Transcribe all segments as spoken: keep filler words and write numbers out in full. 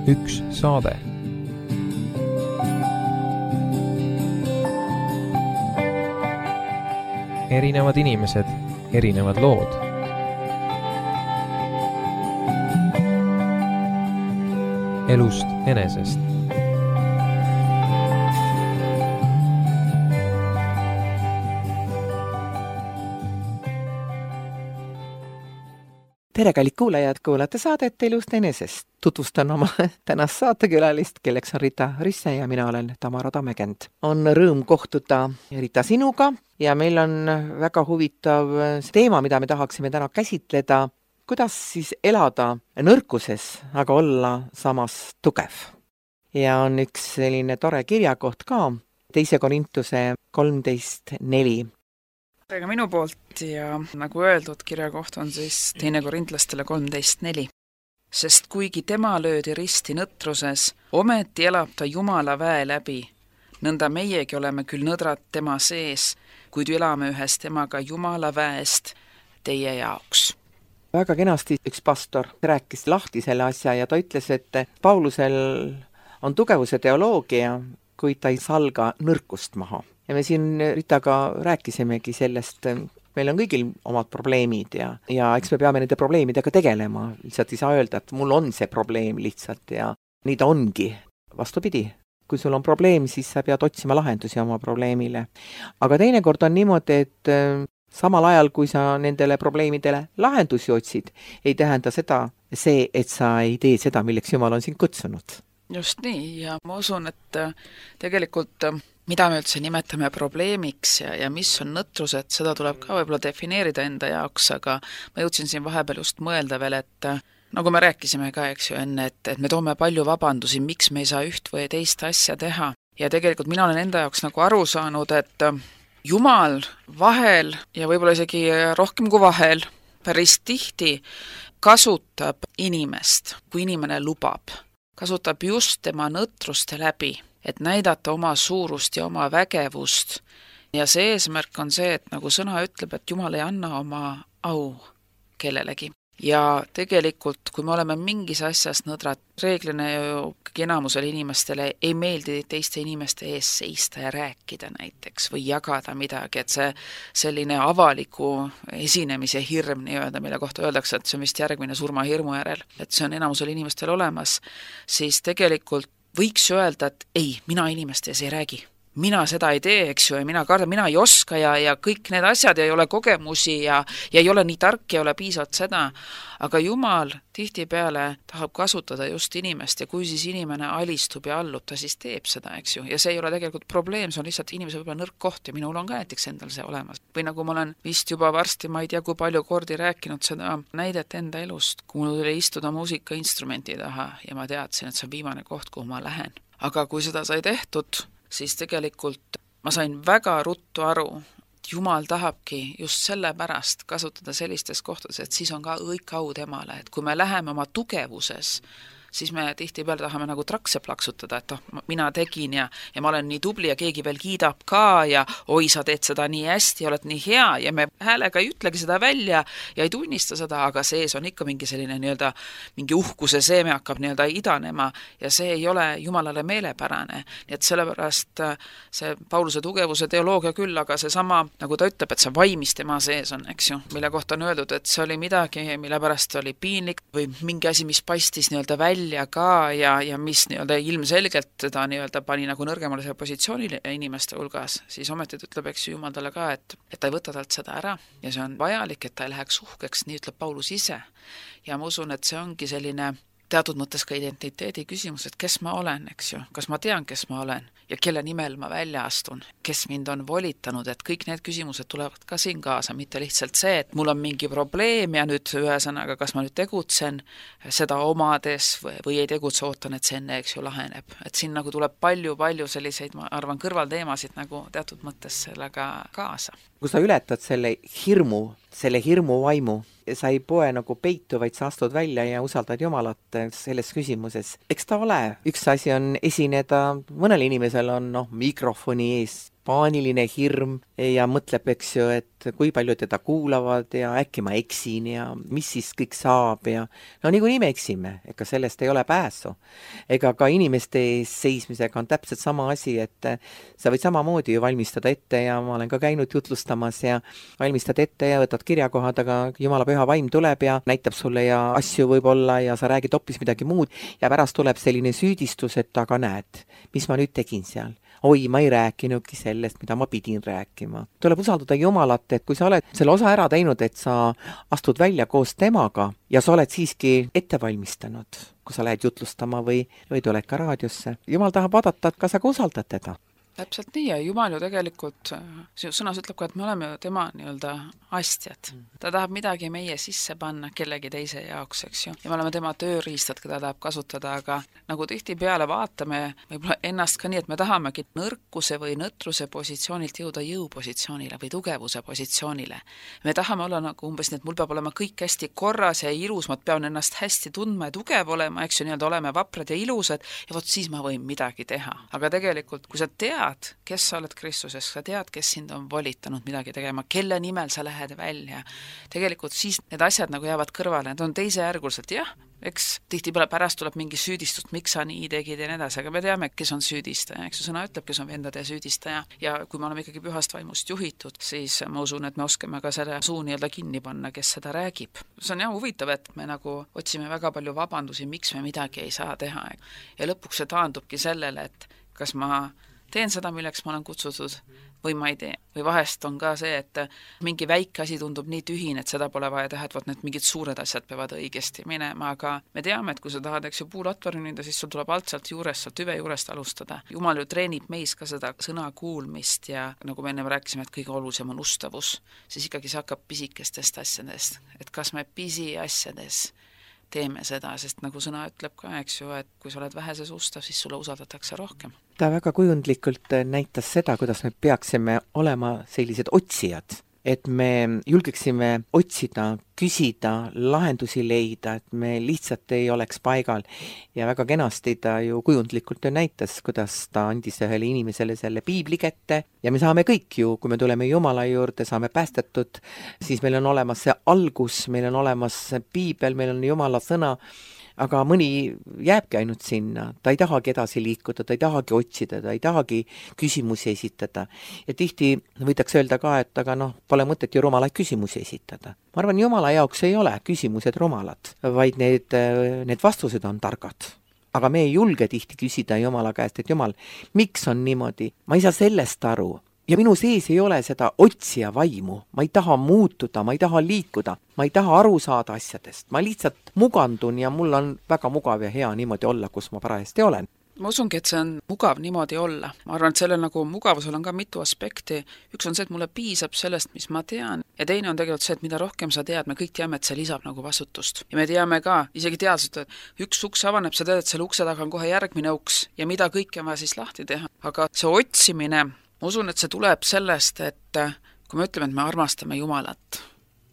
üks saade. Erinevad inimesed, erinevad lood. Elust enesest. Tere, kallid kuulajad, kuulate saadet Elust enesest. Tutvustan oma tänast saatekülalist, kelleks on Rita Risse ja mina olen Tamara Tammekend. On rõõm kohtuda Rita sinuga ja meil on väga huvitav teema, mida me tahaksime täna käsitleda. Kuidas siis elada nõrkuses, aga olla samas tugev? Ja on üks selline tore kirjakoht ka, teise Korintuse kolmteist neli. Ega minu poolt ja nagu öeldud, kirjakoht on siis teine Korintlastele kolmteist neli. Sest kuigi tema löödi risti nõtruses, ometi elab ta Jumala väe läbi. Nõnda meiegi oleme küll nõdrad tema sees, kuid elame ühes temaga Jumala väest teie jaoks. Väga kenasti üks pastor rääkis lahti selle asja ja ta ütles, et Paulusel on tugevuse teoloogia, kuid ta ei salga nõrkust maha. Ja me siin Ritaga rääkisimegi sellest, meil on kõigil omad probleemid ja, ja eks me peame nende probleemidega tegelema. Lihtsalt ei saa öelda, et mul on see probleem lihtsalt ja nii ta ongi. Vastupidi, kui sul on probleem, siis sa pead otsima lahendusi oma probleemile. Aga teinekord on niimoodi, et samal ajal, kui sa nendele probleemidele lahendusi otsid, ei tähenda seda see, et sa ei tee seda, milleks Jumal on sind kutsunud. Just nii, ja ma usun, et tegelikult mida me üldse nimetame probleemiks ja, ja mis on nõtrused, seda tuleb ka võib-olla defineerida enda jaoks, aga ma jõudsin siin vahepeal just mõelda veel, et nagu me rääkisime ka, eks ju, enne, et, et me toome palju vabandusi, miks me ei saa üht või teist asja teha. Ja tegelikult mina olen enda jaoks nagu aru saanud, et Jumal vahel ja võib-olla isegi rohkem kui vahel päris tihti kasutab inimest, kui inimene lubab. Kasutab just tema nõtruste läbi, et näidata oma suurust ja oma vägevust. Ja see eesmärk on see, et nagu sõna ütleb, et Jumal ei anna oma au kellelegi. Ja tegelikult, kui me oleme mingis asjas nõdrad, reeglina ju enamusele inimestele ei meeldi teiste inimeste ees seista ja rääkida näiteks või jagada midagi, et see selline avaliku esinemise hirm nii-öelda, mille kohta öeldakse, et see on vist järgmine surmahirmu järel, et see on enamusele inimestel olemas, siis tegelikult võiks öelda, et ei, mina inimeste ees ei räägi. Mina seda ei tee, eks ju, ja mina kardan, mina ei oska ja, ja kõik need asjad ja ei ole kogemusi ja, ja ei ole nii tark ja ei ole piisavalt seda. Aga Jumal tihtipeale tahab kasutada just inimest ja kui siis inimene alistub ja allub, ta siis teeb seda, eks ju. Ja see ei ole tegelikult probleem, see on lihtsalt inimese võib-olla nõrk koht ja minul on ka näiteks endal see olemas. Või nagu ma olen vist juba varsti, ma ei tea, kui palju kordi rääkinud seda näidet enda elust, kui mul tuli istuda muusikainstrumenti taha ja ma teadsin, et see on viimane koht, kuhu ma lähen. Aga kui seda sai tehtud, siis tegelikult ma sain väga ruttu aru, et Jumal tahabki just selle pärast kasutada sellistes kohtades, et siis on ka õig au temale, et kui me läheme oma tugevuses, siis me tihtipeale tahame nagu trakse plaksutada, et oh, mina tegin ja, ja ma olen nii tubli ja keegi veel kiidab ka ja oi, sa teed seda nii hästi, oled nii hea ja me häälega ei ütlegi seda välja ja ei tunnista seda, aga sees on ikka mingi selline nii-öelda, mingi uhkuse seeme hakkab nii-öelda idanema ja see ei ole Jumalale meelepärane. Nii et sellepärast see Pauluse tugevuse teoloogia küll, aga see sama, nagu ta ütleb, et see vaimis tema sees on, eks ju, mille kohta on öeldud, et see oli midagi, mille pärast oli piinlik või mingi asi, mis paistis nii-öelda välja ja ka ja, ja mis nii-öelda ilmselgelt teda nii-öelda pani nagu nõrgemale see positsioonile inimeste hulgas, siis ometi ütleb, eks Jumal talle ka, et, et ta ei võta talt seda ära ja see on vajalik, et ta ei läheks uhkeks, nii ütleb Paulus ise. Ja ma usun, et see ongi selline teatud mõttes ka identiteedi küsimus, et kes ma olen, eks ju, kas ma tean, kes ma olen ja kelle nimel ma välja astun, kes mind on volitanud, et kõik need küsimused tulevad ka siin kaasa, mitte lihtsalt see, et mul on mingi probleem ja nüüd ühesõnaga, kas ma nüüd tegutsen seda omades või, või ei tegutse, ootan, et see enne, eks ju, laheneb. Et siin nagu tuleb palju-palju selliseid, ma arvan, kõrvalteemasid nagu teatud mõttes sellega kaasa. Kui sa ületad selle hirmu, selle hirmu vaimu, sa ei poe nagu peitu, vaid sa astud välja ja usaldad Jumalat selles küsimuses. Eks ta ole. Üks asi on esineda, mõnel inimesel on noh, mikrofoni ees paaniline hirm ja mõtleb, eks ju, et kui palju teda kuulavad ja äkki ma eksin ja mis siis kõik saab ja no niikuinii me eksime, ega sellest ei ole pääsu. Ega ka inimeste ees seismisega on täpselt sama asi, et sa võid samamoodi ju valmistada ette ja ma olen ka käinud jutlustamas ja valmistad ette ja võtad kirjakohad, aga Jumala püha vaim tuleb ja näitab sulle ja asju võib-olla ja sa räägid hoopis midagi muud ja pärast tuleb selline süüdistus, et aga näed, mis ma nüüd tegin seal. Oi, ma ei rääkinudki sellest, mida ma pidin rääkima. Tuleb usaldada Jumalat, et kui sa oled selle osa ära teinud, et sa astud välja koos temaga ja sa oled siiski ette valmistanud, kui sa lähed jutlustama või, või tuled ka raadiosse. Jumal tahab vaadata, et kas sa ka usaldad teda. Täpselt nii ja Jumal ju tegelikult, sõnas ütleb ka, et me oleme ju tema nii-öelda astjad. Ta tahab midagi meie sisse panna kellegi teise jaoks, eks ju. Ja me oleme tema tööriistad, keda tahab kasutada, aga nagu tihtipeale vaatame võib-olla ennast ka nii, et me tahamegi nõrkuse või nõtruse positsioonilt jõuda jõupositsioonile või tugevuse positsioonile. Me tahame olla nagu umbes nii, et mul peab olema kõik hästi korras ja ilus, ma pean ennast hästi tundma ja tugev olema, eks ju, nii-öelda oleme vaprad ja ilusad ja vot siis ma võin midagi teha. Aga tegelikult, kui sa tead, kes sa oled Kristuses, sa tead, kes sind on volitanud midagi tegema, kelle nimel sa lähed välja. Tegelikult siis need asjad nagu jäävad kõrvale, need on teisejärgulselt, jah, eks tihtipeale pärast tuleb mingi süüdistust, miks sa nii tegid ja nii edasi, aga me teame, kes on süüdistaja, eks ju, sõna ütleb, kes on vendade süüdistaja ja kui me oleme ikkagi pühast vaimust juhitud, siis ma usun, et me oskame ka selle suu nii-öelda kinni panna, kes seda räägib. See on jah huvitav, et me nagu otsime väga palju vabandusi, miks me midagi ei saa teha ja lõpuks see taandubki sellele, et kas ma teen seda, milleks ma olen kutsutud või ma ei tee. Või vahest on ka see, et mingi väike asi tundub nii tühine, et seda pole vaja teha, et võt need mingid suured asjad peavad õigesti minema, aga me teame, et kui sa tahad, eks ju, puulatvar nünida, siis sul tuleb alt sealt juurest, sealt tüve juurest alustada. Jumal ju treenib meis ka seda sõna kuulmist ja nagu me enne rääkisime, et kõige olulisem on ustavus, siis ikkagi see hakkab pisikestest asjadest, et kas me pisi asjades teeme seda, sest nagu sõna ütleb ka, eks ju, et kui sa oled väheses ustav, siis sulle usaldatakse rohkem. Ta väga kujundlikult näitas seda, kuidas me peaksime olema sellised otsijad, et me julgeksime otsida, küsida, lahendusi leida, et me lihtsalt ei oleks paigal. Ja väga kenasti ta ju kujundlikult ju näitas, kuidas ta andis ühele inimesele selle piibli kätte ja me saame kõik ju, kui me tuleme Jumala juurde, saame päästetud, siis meil on olemas see algus, meil on olemas piibel, meil on Jumala sõna, aga mõni jääbki ainult sinna, ta ei tahagi edasi liikuda, ta ei tahagi otsida, ta ei tahagi küsimusi esitada. Ja tihti võidaks öelda ka, et aga noh, pole mõtet ju rumalaid küsimusi esitada. Ma arvan, Jumala jaoks ei ole küsimused rumalad, vaid need, need vastused on targad. Aga me ei julge tihti küsida Jumala käest, et Jumal, miks on niimoodi? Ma ei saa sellest aru. Ja minu sees ei ole seda otsija vaimu, ma ei taha muutuda, ma ei taha liikuda, ma ei taha aru saada asjadest, ma lihtsalt mugandun ja mul on väga mugav ja hea niimoodi olla, kus ma parajasti olen. Ma usungi, et see on mugav niimoodi olla. Ma arvan, et sellel nagu mugavusel on ka mitu aspekti. Üks on see, et mulle piisab sellest, mis ma tean. Ja teine on tegelikult see, et mida rohkem sa tead, me kõik teame, et see lisab nagu vastutust. Ja me teame ka, isegi teadselt, et üks uks avaneb, sa tead, et selle ukse taga on kohe järgmine uks ja mida kõike on vaja siis lahti teha. Aga see otsimine, ma usun, et see tuleb sellest, et kui me ütleme, et me armastame Jumalat,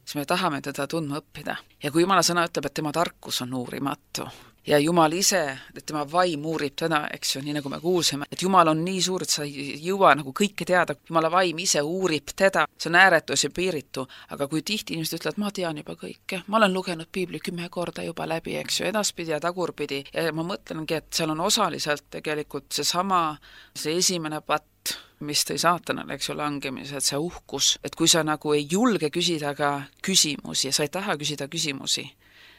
siis me tahame teda tundma õppida. Ja kui Jumala sõna ütleb, et tema tarkus on uurimatu ja Jumal ise, et tema vaim uurib teda, eks ju, nii nagu me kuulsime, et Jumal on nii suur, et sa ei jõua nagu kõike teada, Jumala vaim ise uurib teda, see on ääretus ja piiritu, aga kui tihti inimesed ütlevad, ma tean juba kõike, ma olen lugenud piibli kümme korda juba läbi, eks ju, edaspidi ja tagurpidi ja ma mõtlengi, et seal on osaliselt tegelikult seesama, see esimene patt, mis tõi saatanale, eks ju, langemised, see uhkus, et kui sa nagu ei julge küsida ka küsimusi ja sa ei taha küsida küsimusi,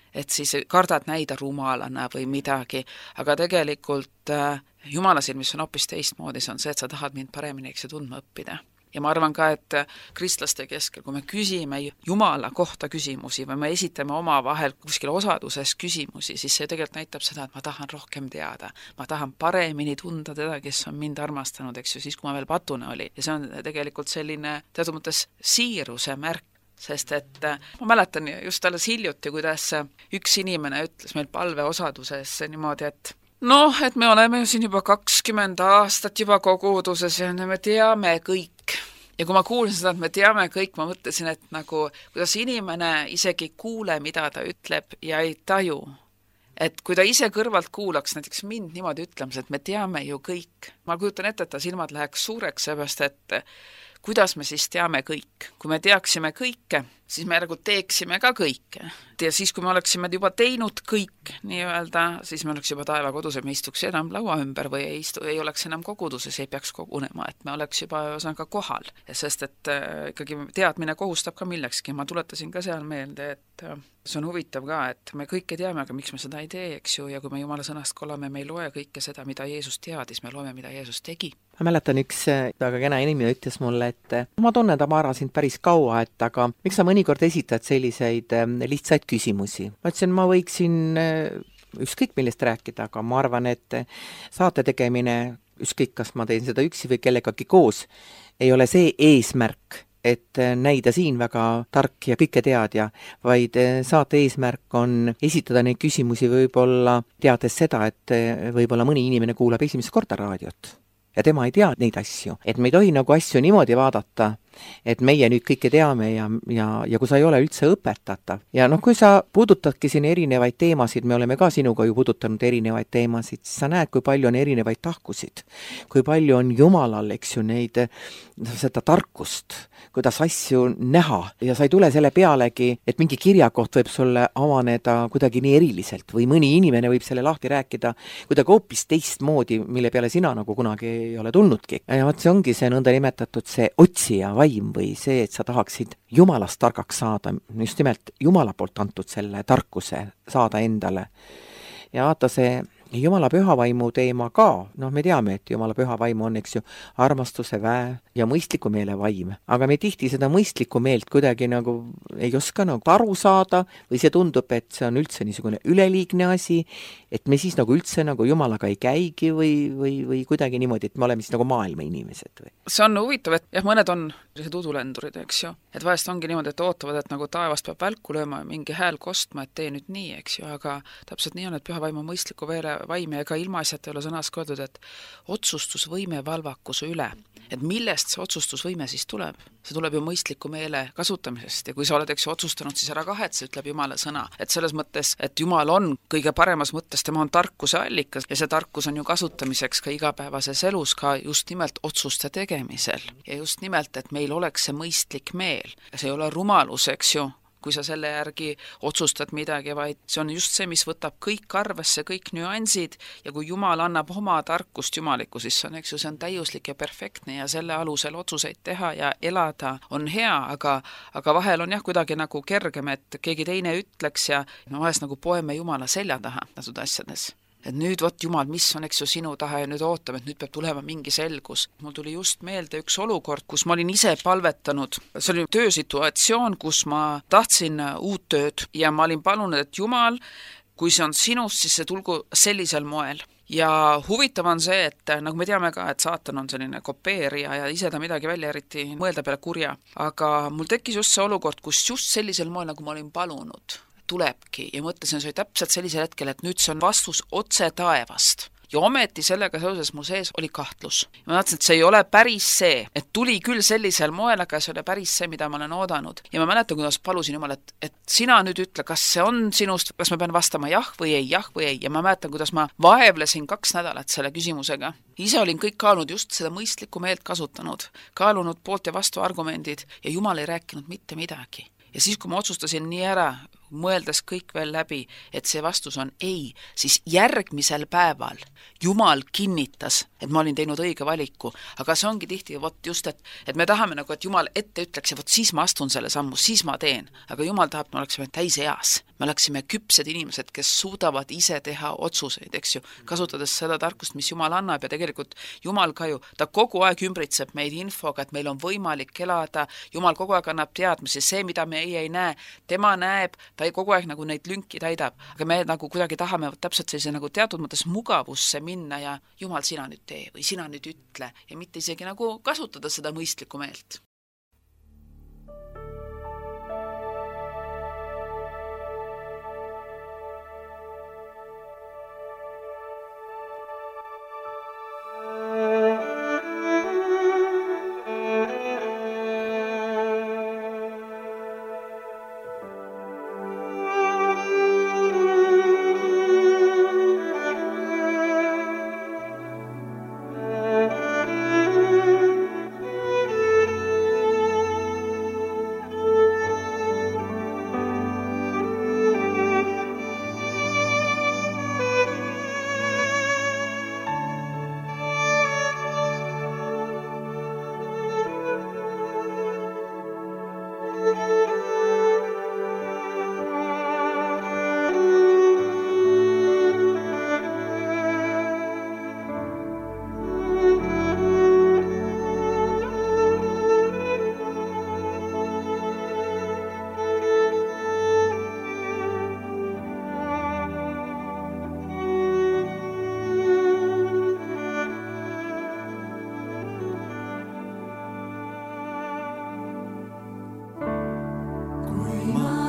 et siis kardad näida rumalana või midagi, aga tegelikult äh, Jumala silmis on hoopis teistmoodi, see on see, et sa tahad mind paremini, eks ju, tundma õppida. Ja ma arvan ka, et kristlaste keskel, kui me küsime Jumala kohta küsimusi või me esitame oma vahel kuskil osaduses küsimusi, siis see tegelikult näitab seda, et ma tahan rohkem teada. Ma tahan paremini tunda teda, kes on mind armastanud, eks ju, siis kui ma veel patune oli. Ja see on tegelikult selline teatud mõttes siiruse märk, sest et ma mäletan just alles hiljuti, kuidas üks inimene ütles meil palveosaduses niimoodi, et noh, et me oleme ju siin juba kakskümmend aastat juba koguduses ja me teame kõik. Ja kui ma kuulsin seda, et me teame kõik, ma mõtlesin, et nagu, kuidas inimene isegi ei kuule, mida ta ütleb ja ei taju, et kui ta ise kõrvalt kuulaks näiteks mind niimoodi ütlemas, et me teame ju kõik. Ma kujutan ette, et ta silmad läheks suureks, seepärast, et kuidas me siis teame kõik? Kui me teaksime kõike, siis me järgu teeksime ka kõike. Ja siis, kui me oleksime juba teinud kõik, nii-öelda, siis me oleks juba taeva kodus, et me istuks enam laua ümber või ei, istu, ei oleks enam koguduses, ei peaks kogunema, et me oleks juba ka kohal. Sest et äh, ikkagi teadmine kohustab ka millekski. Ma tuletasin ka seal meelde, et äh, see on huvitav ka, et me kõike teame, aga miks me seda ei tee, eks ju, ja kui me Jumala sõnast kolame, me ei loe kõike seda, mida Jeesus teadis, me loeme, mida Jeesus tegi. Ma mäletan, üks väga kena inimene ütles mulle, et ma tunnen ta Mara sind päris kaua, et aga miks sa mõnikord esitad selliseid lihtsaid küsimusi? Ma ütlesin, ma võiksin ükskõik millest rääkida, aga ma arvan, et saate tegemine, ükskõik kas ma teen seda üksi või kellegagi koos, ei ole see eesmärk, et näida siin väga tark ja kõike teadja, vaid saate eesmärk on esitada neid küsimusi võib-olla teades seda, et võib-olla mõni inimene kuulab esimest korda raadiot ja tema ei tea neid asju. Et me ei tohi nagu asju niimoodi vaadata, et meie nüüd kõike teame ja, ja, ja kui sa ei ole üldse õpetatav. Ja noh, kui sa puudutadki siin erinevaid teemasid, me oleme ka sinuga ju puudutanud erinevaid teemasid, siis sa näed, kui palju on erinevaid tahkusid, kui palju on Jumalal, eks ju, neid, seda tarkust, kuidas asju näha ja sa ei tule selle pealegi, et mingi kirjakoht võib sulle avaneda kuidagi nii eriliselt või mõni inimene võib selle lahti rääkida kuidagi hoopis teistmoodi, mille peale sina nagu kunagi ei ole tulnudki. Ja vaat see ongi see nõnda nimetatud see otsija vaim või see, et sa tahaksid Jumalast targaks saada, just nimelt Jumala poolt antud selle tarkuse saada endale. Ja vaata see Jumala pühavaimu teema ka, noh me teame, et Jumala pühavaimu on, eks ju, armastuse, väe ja mõistliku meele vaim. Aga me tihti seda mõistlikku meelt kuidagi nagu ei oska nagu aru saada või see tundub, et see on üldse niisugune üleliigne asi, et me siis nagu üldse nagu Jumalaga ei käigi või, või, või kuidagi niimoodi, et me oleme siis nagu maailma inimesed või? See on huvitav, et jah, mõned on sellised udulendurid, eks ju. Et vahest ongi niimoodi, et ootavad, et nagu taevast peab välku lööma ja mingi hääl kostma, et tee nüüd nii, eks ju, aga täpselt nii on, et pühavaimu mõistliku veele vaim ja ega ilmaasjata ei ole sõnas kodud, et otsustusvõime valvakuse üle. Et millest see otsustusvõime siis tuleb? See tuleb ju mõistliku meele kasutamisest ja kui sa oled, eks ju, otsustanud, siis ära kahetse, ütleb Jumala sõna. Et selles mõttes, et Jumal on kõige paremas mõttes, tema on tarkuse allikas ja see tarkus on ju kasutamiseks ka igapäevases elus, ka just nimelt otsuste tegemisel. Ja just nimelt, et meil oleks see mõistlik meel. Ja see ei ole rumalus, eks ju, kui sa selle järgi otsustad midagi, vaid see on just see, mis võtab kõik arvesse, kõik nüansid ja kui Jumal annab oma tarkust jumalikku, siis on, eks ju, see on täiuslik ja perfektne ja selle alusel otsuseid teha ja elada on hea, aga, aga vahel on jah kuidagi nagu kergem, et keegi teine ütleks ja me vahest nagu poeme Jumala selja taha tasud asjades. Et nüüd võt Jumal, mis on, eks ju, sinu taha ja nüüd ootame, et nüüd peab tulema mingi selgus. Mul tuli just meelde üks olukord, kus ma olin ise palvetanud. See oli töösituatsioon, kus ma tahtsin uut tööd ja ma olin palunud, et Jumal, kui see on sinust, siis see tulgu sellisel moel. Ja huvitav on see, et nagu me teame ka, et saatan on selline kopeerija ja ise ta midagi välja eriti mõelda peale kurja. Aga mul tekkis just see olukord, kus just sellisel moel, nagu ma olin palunud, tulebki ja mõtlesin, see oli täpselt sellisel hetkel, et nüüd see on vastus otse taevast. Ja ometi sellega seoses mu sees oli kahtlus. Ma mõtlesin, et see ei ole päris see, et tuli küll sellisel moel, aga see oli päris see, mida ma olen oodanud. Ja ma mäletan, kuidas palusin Jumal, et, et sina nüüd ütle, kas see on sinust, kas ma pean vastama jah või ei, jah või ei. Ja ma mäletan, kuidas ma vaevlesin kaks nädalat selle küsimusega. Ise olin kõik kaalunud just seda mõistlikku meelt kasutanud, kaalunud poolt ja vastu argumendid ja Jumal ei rääkinud mitte midagi. Ja siis, kui ma otsustasin nii ära, mõeldes kõik veel läbi, et see vastus on ei, siis järgmisel päeval Jumal kinnitas, et ma olin teinud õige valiku, aga see ongi tihti vot just, et, et me tahame nagu, et Jumal ette ütleks ja vot siis ma astun selle sammu, siis ma teen, aga Jumal tahab, me oleksime täis eas, me oleksime küpsed inimesed, kes suudavad ise teha otsuseid, eks ju, kasutades seda tarkust, mis Jumal annab ja tegelikult Jumal ka ju, ta kogu aeg ümbritseb meid infoga, et meil on võimalik elada, Jumal kogu aeg annab teadmisi, see, mida me ei, ei näe, tema näeb, ta ei kogu aeg nagu neid lünki täidab, aga me nagu kuidagi tahame täpselt sellise nagu teatud mõttes mugavusse minna ja Jumal, sina nüüd tee või sina nüüd ütle ja mitte isegi nagu kasutada seda mõistlikku meelt.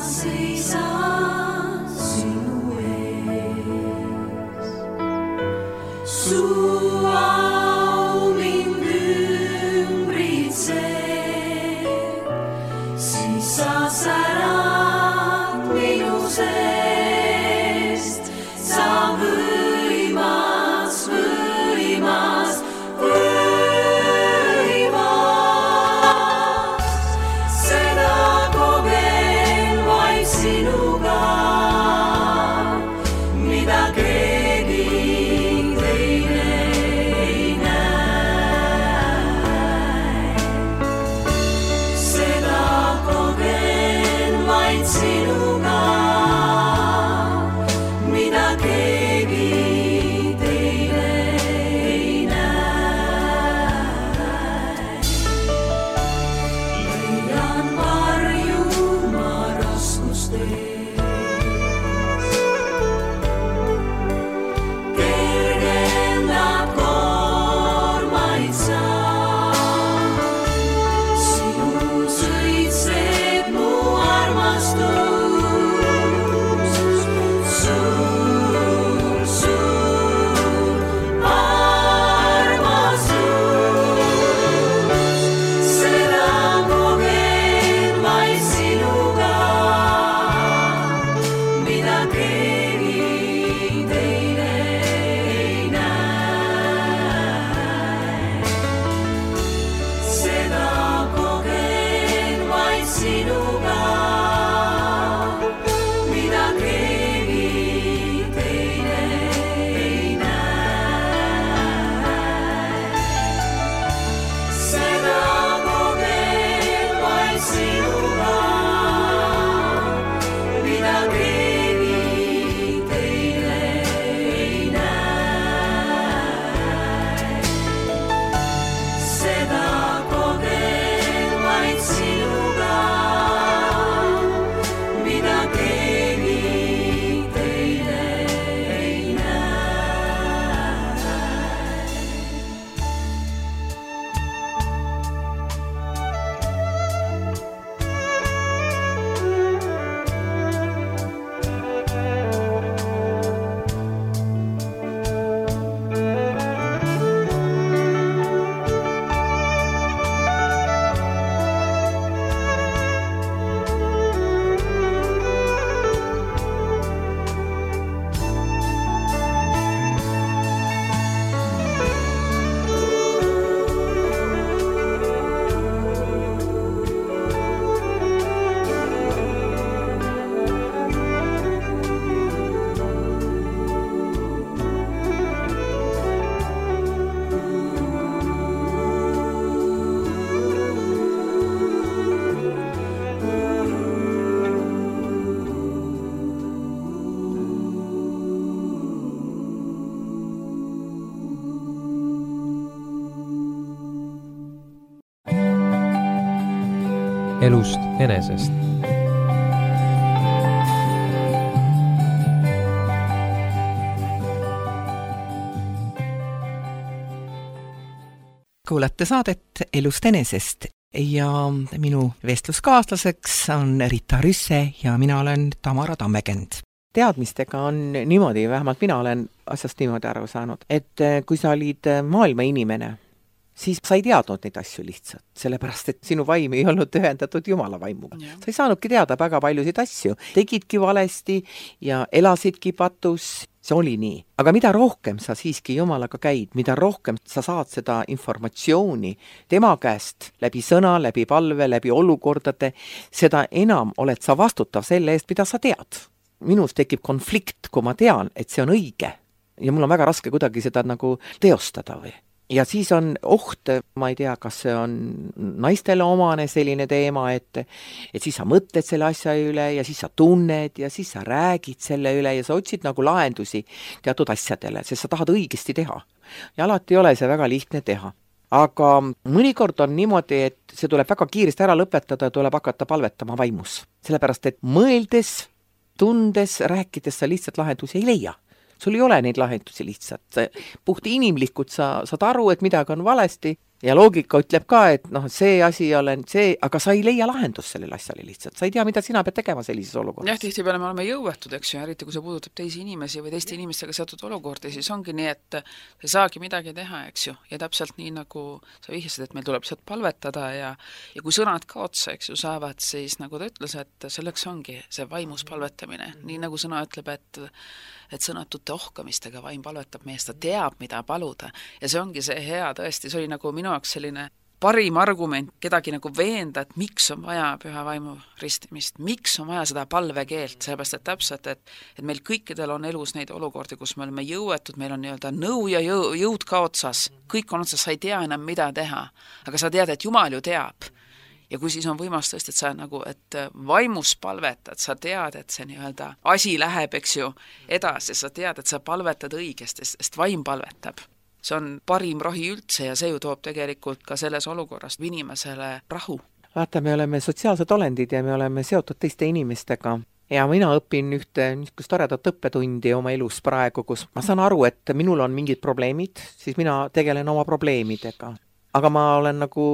seisan sinu ees. Su au mind ümbritseb, siis sa särad minu seest. Sa võimas, võimas, võimas. Seda kogen vaid sinuga, mida keegi teine ei näe. Seda kogen vaid sinuga, mida keegi teine ei näe. Leian varju ma raskustes, kergendab koormaid sa. Sinus õitseb mu armastus, suur, suur armastus. Seda kogen vaid sinuga, mida keegi teine ei näe. Seda kogen vaid sinuga, mida keegi teine ei näe. Seda kogen vaid sinuga, mida keegi teine ei näe. Seda kogen vaid sinuga, mida keegi teine ei elust enesest. Kuulate saadet Elust enesest ja minu vestluskaaslaseks on Rita Rüsse ja mina olen Tamara Tammekend. Teadmistega on niimoodi, vähemalt mina olen asjast niimoodi aru saanud, et kui sa olid maailma inimene, siis sa ei teadnud neid asju lihtsalt, sellepärast et sinu vaim ei olnud ühendatud Jumala vaimuga. Sa ei saanudki teada väga paljusid asju, tegidki valesti ja elasidki patus, see oli nii. Aga mida rohkem sa siiski Jumalaga käid, mida rohkem sa saad seda informatsiooni tema käest läbi sõna, läbi palve, läbi olukordade, seda enam oled sa vastutav selle eest, mida sa tead. Minus tekib konflikt, kui ma tean, et see on õige ja mul on väga raske kuidagi seda nagu teostada või. Ja siis on oht, ma ei tea, kas see on naistele omane selline teema, et, et siis sa mõtled selle asja üle ja siis sa tunned ja siis sa räägid selle üle ja sa otsid nagu lahendusi teatud asjadele, sest sa tahad õigesti teha. Ja alati ei ole see väga lihtne teha. Aga mõnikord on niimoodi, et see tuleb väga kiiresti ära lõpetada ja tuleb hakata palvetama vaimus. Sellepärast, et mõeldes, tundes, rääkides sa lihtsalt lahendusi ei leia. Sul ei ole neid lahendusi lihtsalt. Puht inimlikult sa saad aru, et midagi on valesti ja loogika ütleb ka, et noh, see asi ei ole see, aga sa ei leia lahendust sellele asjale lihtsalt, sa ei tea, mida sina pead tegema sellises olukorras. jah, tihtipeale me oleme jõuetud, eks ju, eriti kui see puudutab teisi inimesi või teiste inimestega seotud olukordi, siis ongi nii, et sa ei saagi midagi teha, eks ju, ja täpselt nii, nagu sa vihjasid, et meil tuleb sealt palvetada ja ja kui sõnad ka otsa, eks ju, saavad, siis nagu ta ütles, et selleks ongi see vaimus palvetamine, nii nagu sõna ütleb, et et sõnatute ohkamistega vaim palvetab meest, ta teab, mida paluda. Ja see ongi see hea tõesti, see oli nagu minu jaoks selline parim argument kedagi nagu veenda, et miks on vaja püha vaimu ristimist, miks on vaja seda palvekeelt, sellepärast et täpselt, et, et meil kõikidel on elus neid olukordi, kus me oleme jõuetud, meil on nii-öelda nõu ja jõu, jõud ka otsas, kõik on otsas, sa ei tea enam, mida teha, aga sa tead, et Jumal ju teab. Ja kui siis on võimas tõesti, et sa nagu, et vaimus palvetad, sa tead, et see nii-öelda asi läheb, eks ju, edasi, sa tead, et sa palvetad õigesti, sest vaim palvetab. See on parim rahi üldse ja see ju toob tegelikult ka selles olukorrast inimesele rahu. Vaata, me oleme sotsiaalsed olendid ja me oleme seotud teiste inimestega. Ja mina õpin ühte niisugust toredat õppetundi oma elus praegu, kus ma saan aru, et minul on mingid probleemid, siis mina tegelen oma probleemidega. Aga ma olen nagu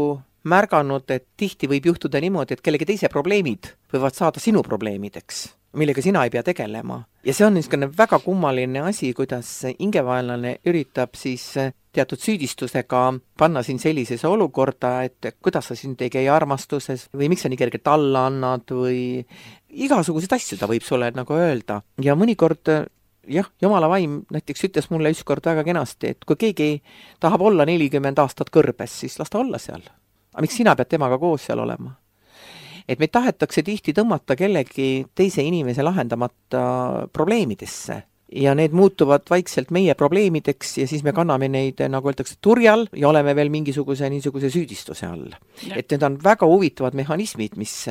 märganud, et tihti võib juhtuda niimoodi, et kellegi teise probleemid võivad saada sinu probleemideks, millega sina ei pea tegelema. Ja see on niisugune väga kummaline asi, kuidas hingevaenlane üritab siis teatud süüdistusega panna siin sellisesse olukorda, et kuidas sa siin ei käi armastuses või miks sa nii kergelt alla annad või igasuguseid asju ta võib sulle nagu öelda. Ja mõnikord jah, Jumala vaim näiteks ütles mulle ükskord väga kenasti, et kui keegi tahab olla nelikümmend aastat kõrbes, siis las ta olla seal. Aga miks sina pead temaga koos seal olema? Et meid tahetakse tihti tõmmata kellegi teise inimese lahendamata probleemidesse ja need muutuvad vaikselt meie probleemideks ja siis me kanname neid, nagu öeldakse, turjal ja oleme veel mingisuguse niisuguse süüdistuse all. Ja. Et need on väga huvitavad mehhanismid, mis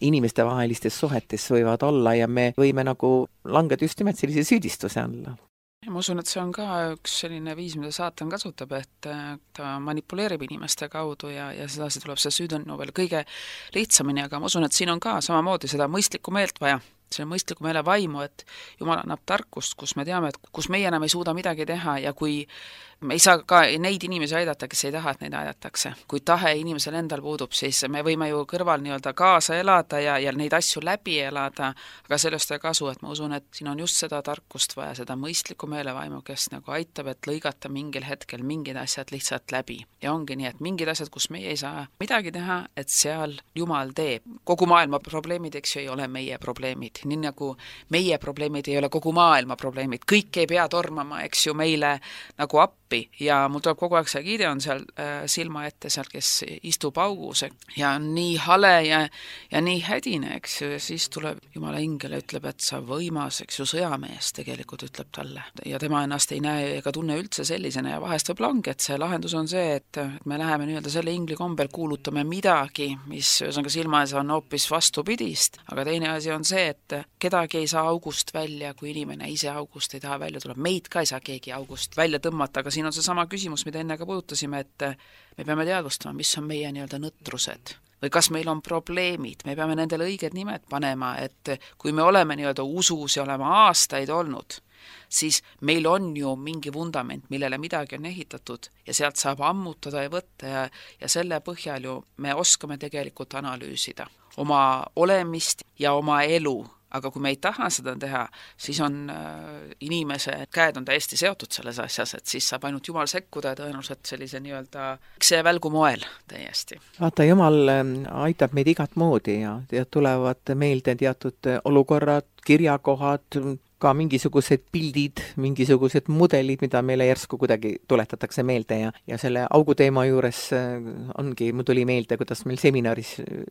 inimeste vahelistes suhetes võivad olla ja me võime nagu langeda just nimelt sellise süüdistuse alla. Ma usun, et see on ka üks selline viis, mida saatan kasutab, et ta manipuleerib inimeste kaudu ja, ja sedasi tuleb see süüdõnnu veel kõige lihtsamini, aga ma usun, et siin on ka samamoodi seda mõistlikku meelt vaja, selle mõistliku meele vaimu, et Jumal annab tarkust, kus me teame, et kus meie enam ei suuda midagi teha ja kui me ei saa ka neid inimesi aidata, kes ei taha, et neid aidatakse. Kui tahe inimesel endal puudub, siis me võime ju kõrval nii-öelda kaasa elada ja, ja neid asju läbi elada, aga sellest ei kasu, et ma usun, et siin on just seda tarkust vaja, seda mõistlikku meelevaimu, kes nagu aitab, et lõigata mingil hetkel mingid asjad lihtsalt läbi. Ja ongi nii, et mingid asjad, kus meie ei saa midagi teha, et seal Jumal teeb. Kogu maailma probleemid, eks ju, ei ole meie probleemid. Nii nagu meie probleemid ei ole kogu maailma probleemid. Kõik ei pea tormama, eks ju, meile nagu appi ja mul tuleb kogu aeg see Gideon seal äh, silma ette seal, kes istub augus ja on nii hale ja, ja nii hädine, eks ju, ja siis tuleb Jumala ingel ja ütleb, et sa võimas, eks ju, sõjamees tegelikult ütleb talle ja tema ennast ei näe ega tunne üldse sellisena ja vahest võib lange, et see lahendus on see, et, et me läheme nii-öelda selle ingli kombel, kuulutame midagi, mis ühesõnaga silma ees on hoopis vastupidist, aga teine asi on see, et kedagi ei saa august välja, kui inimene ise august ei taha välja tulla, meid ka ei saa keegi august välja tõmmata, aga siin on see sama küsimus, mida enne ka puudutasime, et me peame teadvustama, mis on meie nii-öelda nõtrused või kas meil on probleemid, me peame nendele õiged nimed panema, et kui me oleme nii-öelda usus ja oleme aastaid olnud, siis meil on ju mingi vundament, millele midagi on ehitatud ja sealt saab ammutada ja võtta ja, ja selle põhjal ju me oskame tegelikult analüüsida oma olemist ja oma elu. Aga kui me ei taha seda teha, siis on äh, inimese käed on täiesti seotud selles asjas, et siis saab ainult Jumal sekkuda ja tõenäoliselt sellise nii-öelda see välgu moel täiesti. Vaata, Jumal aitab meid igat moodi ja, ja tulevad meelde teatud olukorrad, kirjakohad, ka mingisugused pildid, mingisugused mudelid, mida meile järsku kuidagi tuletatakse meelde ja, ja selle auguteema juures ongi, mul tuli meelde, kuidas meil seminaris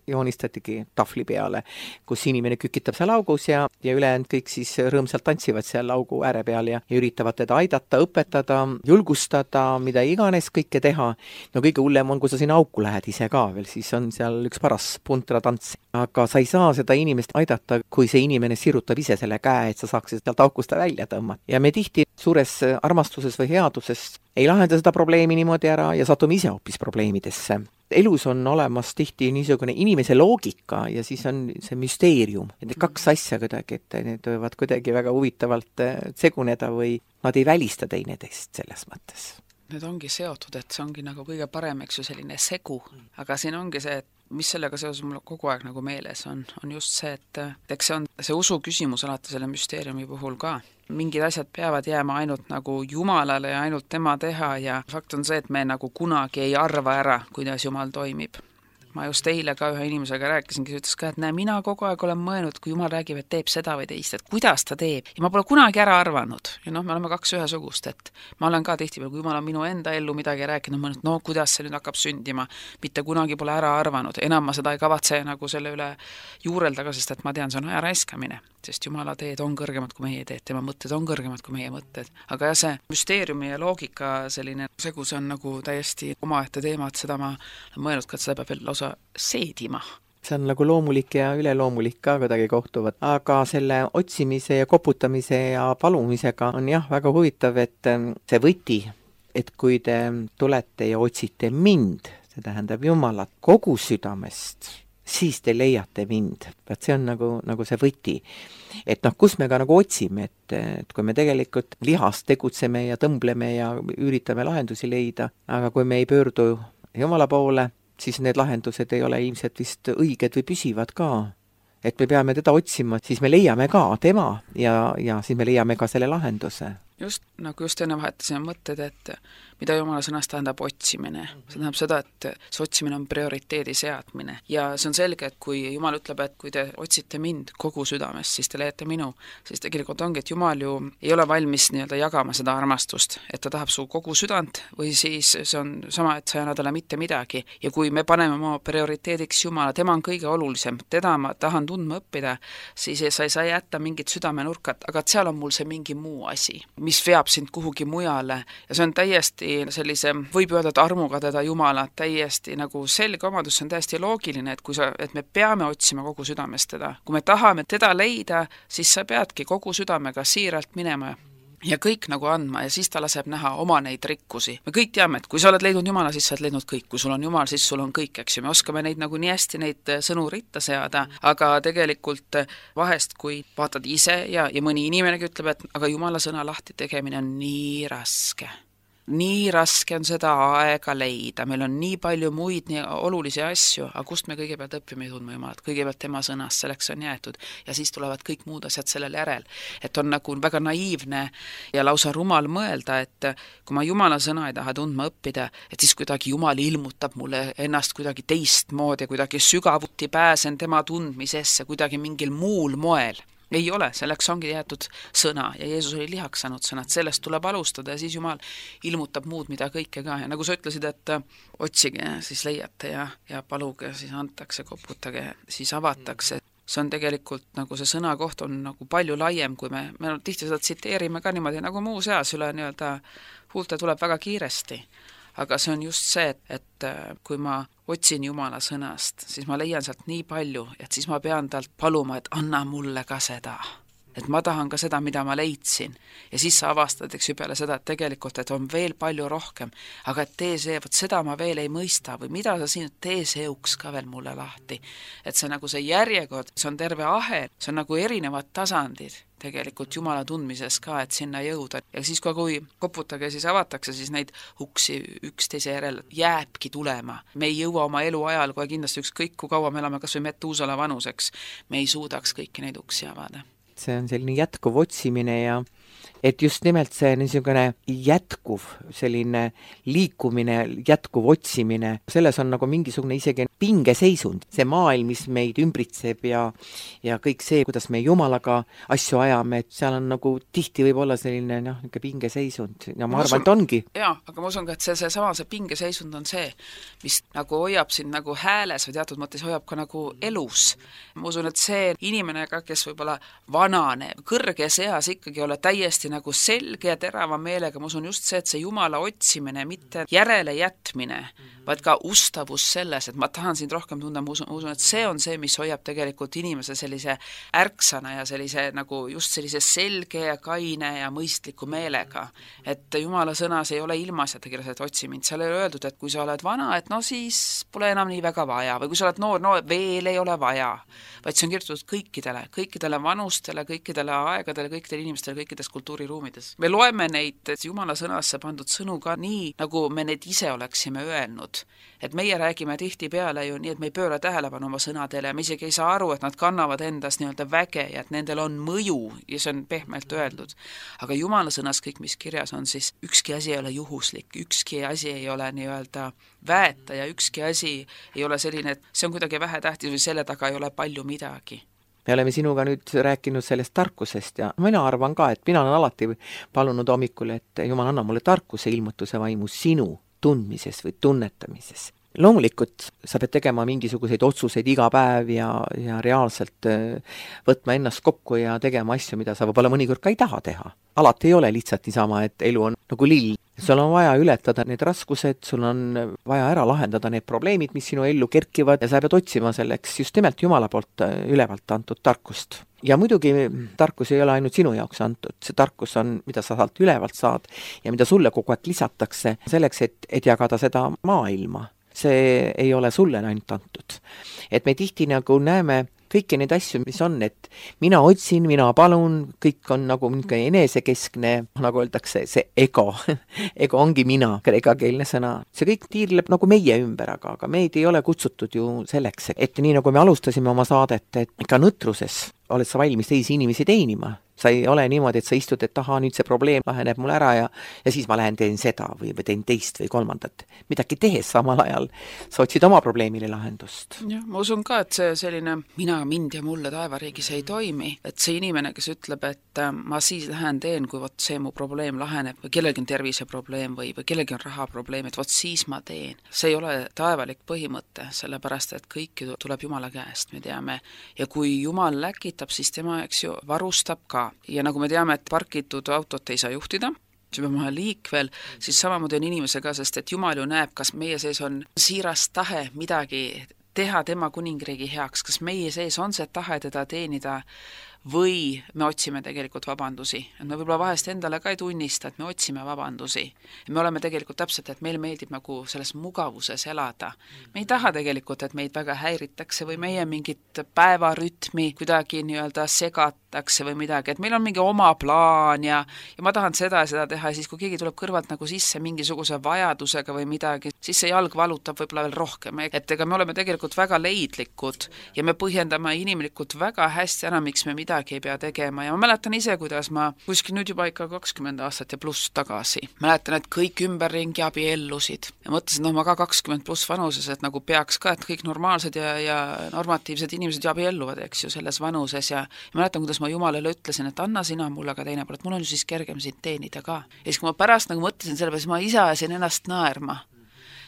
joonistatigi tahvli peale, kus inimene kükitab seal augus ja, ja ülejäänud kõik siis rõõmsalt tantsivad seal augu ääre peal ja, ja üritavad teda aidata, õpetada, julgustada, mida iganes kõike teha. No kõige hullem on, kui sa sinna auku lähed ise ka veel, siis on seal üks paras puntra tants. Aga sa ei saa seda inimest aidata, kui see inimene sirutab ise selle käe, et sa saaksid sealt aukusta välja tõmmata. Ja me tihti suures armastuses või headuses ei lahenda seda probleemi niimoodi ära ja satume ise hoopis probleemidesse. Elus on olemas tihti niisugune inimese loogika ja siis on see müsteerium. Need kaks asja kuidagi, et need võivad kuidagi väga huvitavalt seguneda või nad ei välista teineteist selles mõttes. need ongi seotud, et see ongi nagu kõige parem, eks ju, selline segu, aga siin ongi see, et mis sellega seoses mul kogu aeg nagu meeles on, on just see, et eks see on see usu küsimus alati selle müsteeriumi puhul ka. Mingid asjad peavad jääma ainult nagu Jumalale ja ainult tema teha ja fakt on see, et me nagu kunagi ei arva ära, kuidas Jumal toimib. Ma just eile ka ühe inimesega rääkisin, kes ütles ka, et näe, mina kogu aeg olen mõelnud, kui Jumal räägib, et teeb seda või teist, et kuidas ta teeb. Ja ma pole kunagi ära arvanud. Ja noh, me oleme kaks ühesugust, et ma olen ka tihtipeale, kui Jumal on minu enda ellu midagi rääkinud, mõelnud, no kuidas see nüüd hakkab sündima. Mitte kunagi pole ära arvanud. Enam ma seda ei kavatse nagu selle üle juurelda ka, sest et ma tean, see on aja raiskamine. Sest Jumala teed on kõrgemad kui meie teed, tema mõtted on kõrgemad kui meie mõtted. Aga jah, see müsteeriumi ja loogika selline segu, see on nagu täiesti omaette teema, et seda ma olen mõelnud ka, et seda peab veel lausa seedima. See on nagu loomulik ja üleloomulik ka kuidagi kohtuvad. Aga selle otsimise ja koputamise ja palumisega on jah väga huvitav, et see võti, et kui te tulete ja otsite mind, see tähendab Jumalat kogu südamest, siis te leiate mind. Et see on nagu, nagu see võti. Et noh, kus me ka nagu otsime, et, et kui me tegelikult lihast tegutseme ja tõmbleme ja üritame lahendusi leida, aga kui me ei pöördu Jumala poole, siis need lahendused ei ole ilmselt vist õiged või püsivad ka. Et me peame teda otsima, siis me leiame ka tema ja, ja siis me leiame ka selle lahenduse. Just nagu just enne vahetasime mõtted, et mida Jumala sõnast tähendab otsimine. See tähendab seda, et see otsimine on prioriteedi seadmine. Ja see on selge, et kui Jumal ütleb, et kui te otsite mind kogu südamest, siis te leiate minu, siis tegelikult ongi, et Jumal ju ei ole valmis nii-öelda jagama seda armastust, et ta tahab su kogu südant või siis see on sama, et sa ei anna talle mitte midagi. Ja kui me paneme oma prioriteediks Jumala, tema on kõige olulisem, teda ma tahan tundma õppida, siis sa ei saa jätta mingit südamenurkat, aga seal on mul see mingi muu asi, mis veab sind kuhugi mujale ja see on täiesti sellise, võib öelda, et armuga teda Jumala, täiesti nagu selge omadus, see on täiesti loogiline, et kui sa, et me peame otsima kogu südamest teda. Kui me tahame teda leida, siis sa peadki kogu südamega siiralt minema ja kõik nagu andma ja siis ta laseb näha oma neid rikkusi. Me kõik teame, et kui sa oled leidnud Jumala, siis sa oled leidnud kõik. Kui sul on Jumal, siis sul on kõik, eks ju. Me oskame neid nagu nii hästi neid sõnu ritta seada, aga tegelikult vahest, kui vaatad ise ja, ja mõni inimenegi ütleb, et aga Jumala sõna lahti tegemine on nii raske. Nii raske on seda aega leida, meil on nii palju muid nii olulisi asju, aga kust me kõigepealt õppime tundma Jumalat, kõigepealt tema sõnast, selleks on jäetud ja siis tulevad kõik muud asjad sellel järel. Et on nagu väga naiivne ja lausa rumal mõelda, et kui ma Jumala sõna ei taha tundma õppida, et siis kuidagi Jumal ilmutab mulle ennast kuidagi teistmoodi, kuidagi sügavuti pääsen tema tundmisesse, kuidagi mingil muul moel. Ei ole, selleks ongi jäetud sõna ja Jeesus oli lihaks saanud sõnad, sellest tuleb alustada ja siis Jumal ilmutab muud, mida kõike ka. Ja nagu sa ütlesid, et otsige, siis leiate ja, ja paluge, siis antakse, koputage, siis avatakse. See on tegelikult nagu see sõna koht on nagu palju laiem, kui me, me tihti seda tsiteerime ka niimoodi nagu muu seas üle nii-öelda huulte tuleb väga kiiresti. Aga see on just see, et, et kui ma otsin Jumala sõnast, siis ma leian sealt nii palju, et siis ma pean talt paluma, et anna mulle ka seda. Et ma tahan ka seda, mida ma leidsin. Ja siis sa avastad, eks ju peale seda, et tegelikult, et on veel palju rohkem. Aga et tee see, võt seda ma veel ei mõista või mida sa siin, tee see uks ka veel mulle lahti. Et see nagu see järjekord, see on terve ahel, see on nagu erinevad tasandid tegelikult Jumala tundmises ka, et sinna jõuda. Ja siis kui koputage, siis avatakse, siis neid uksi üksteise järel jääbki tulema. Me ei jõua oma elu ajal, kui kindlasti ükskõik, kui kaua me elame kas või Metuusala vanuseks, me ei suudaks kõiki neid uksi avada. See on selline jätkuv otsimine ja et just nimelt see niisugune jätkuv selline liikumine, jätkuv otsimine, selles on nagu mingisugune isegi pingeseisund. See maailm, mis meid ümbritseb ja, ja kõik see, kuidas me Jumalaga asju ajame, et seal on nagu tihti võib olla selline noh, pingeseisund ja ma, ma arvan, et ongi. Jaa, aga ma usun ka, et see, see sama see pingeseisund on see, mis nagu hoiab sind nagu hääles või teatud mõttes hoiab ka nagu elus. Ma usun, et see inimene ka, kes võib-olla vanane, kõrges eas ikkagi olla täiesti nagu selge ja terava meelega, ma usun just see, et see Jumala otsimine, mitte järele jätmine, vaid ka ustavus selles, et ma tahan sind rohkem tunda, ma usun, usun, et see on see, mis hoiab tegelikult inimese sellise ärksana ja sellise nagu just sellise selge ja kaine ja mõistliku meelega. Et Jumala sõnas ei ole ilmaasjata kirjas, et otsi mind. Seal ei ole öeldud, et kui sa oled vana, et no siis pole enam nii väga vaja või kui sa oled noor, no veel ei ole vaja, vaid see on kirjutatud kõikidele, kõikidele vanustele, kõikidele aegadele, kõikidele inimestele, kõikidele kõikides kultuuriruumides. Me loeme neid Jumala sõnasse pandud sõnu ka nii, nagu me need ise oleksime öelnud. Et meie räägime tihtipeale ju nii, et me ei pööra tähelepanu oma sõnadele ja me isegi ei saa aru, et nad kannavad endas nii-öelda väge ja et nendel on mõju ja see on pehmelt öeldud. Aga Jumala sõnas kõik, mis kirjas on, siis ükski asi ei ole juhuslik, ükski asi ei ole nii-öelda väeta ja ükski asi ei ole selline, et see on kuidagi vähetähtis või selle taga ei ole palju midagi. Me oleme sinuga nüüd rääkinud sellest tarkusest ja mina arvan ka, et mina olen alati palunud hommikul, et Jumal anna mulle tarkuse ilmutuse vaimu sinu tundmises või tunnetamises. Loomulikult sa pead tegema mingisuguseid otsuseid iga päev ja, ja reaalselt võtma ennast kokku ja tegema asju, mida sa võib-olla mõnikord ka ei taha teha. Alati ei ole lihtsalt niisama, et elu on nagu lill. Sul on vaja ületada need raskused, sul on vaja ära lahendada need probleemid, mis sinu ellu kerkivad ja sa pead otsima selleks just nimelt Jumala poolt ülevalt antud tarkust. Ja muidugi tarkus ei ole ainult sinu jaoks antud, see tarkus on, mida sa saalt ülevalt saad ja mida sulle kogu aeg lisatakse selleks, et, et jagada seda maailma. See ei ole sulle ainult antud. Et me tihti nagu näeme kõiki neid asju, mis on, et mina otsin, mina palun, kõik on nagu enesekeskne, nagu öeldakse, see ego. Ego ongi mina, kreekakeelne sõna. See kõik tiirleb nagu meie ümber, aga, aga meid ei ole kutsutud ju selleks, et nii nagu me alustasime oma saadet, et ka nõtruses oled sa valmis teisi inimesi teenima. Sa ei ole niimoodi, et sa istud, et taha, nüüd see probleem laheneb mul ära ja, ja siis ma lähen teen seda või, või teen teist või kolmandat. Midagi tehes samal ajal sa otsid oma probleemile lahendust. Jah, ma usun ka, et see selline mina, mind ja mulle taevariigis ei toimi. Et see inimene, kes ütleb, et ma siis lähen teen, kui võt see mu probleem laheneb või kellelgi on terviseprobleem või, või kellelgi on rahaprobleem, et võt siis ma teen. See ei ole taevalik põhimõte, sellepärast, et kõik tuleb Jumala käest, me teame. Ja kui Jumal läkitab, siis tema, eks ju, varustab ka. Ja nagu me teame, et parkitud autot ei saa juhtida, see peab maha liikvel, siis samamoodi on inimesega, sest et Jumal ju näeb, kas meie sees on siiras tahe midagi teha tema kuningriigi heaks, kas meie sees on see tahe teda teenida või me otsime tegelikult vabandusi. Et me võib-olla vahest endale ka ei tunnista, et me otsime vabandusi. Me oleme tegelikult täpselt, et meil meeldib nagu selles mugavuses elada. Me ei taha tegelikult, et meid väga häiritakse või meie mingit päevarütmi kuidagi nii-öelda segatakse või midagi, et meil on mingi oma plaan ja, ja ma tahan seda ja seda teha ja siis, kui keegi tuleb kõrvalt nagu sisse mingisuguse vajadusega või midagi, siis see jalg valutab võib-olla veel rohkem. Et ega me oleme tegelikult väga leidlikud ja me põhjendame inimlikult väga hästi ära, miks me midagi ei pea tegema ja ma mäletan ise, kuidas ma kuskil nüüd juba ikka kakskümmend aastat ja pluss tagasi. Mäletan, et kõik ümberringi abiellusid ja mõtlesin, no ma ka kakskümmend pluss vanuses, et nagu peaks ka, et kõik normaalsed ja, ja normatiivsed inimesed ju abielluvad, eks ju, selles vanuses ja, ja mäletan, kuidas ma Jumalale ütlesin, et anna sina mulle ka teine pool, et mul on ju siis kergem sind teenida ka. Ja siis, kui ma pärast nagu mõtlesin selle peale, siis ma ise ajasin ennast naerma.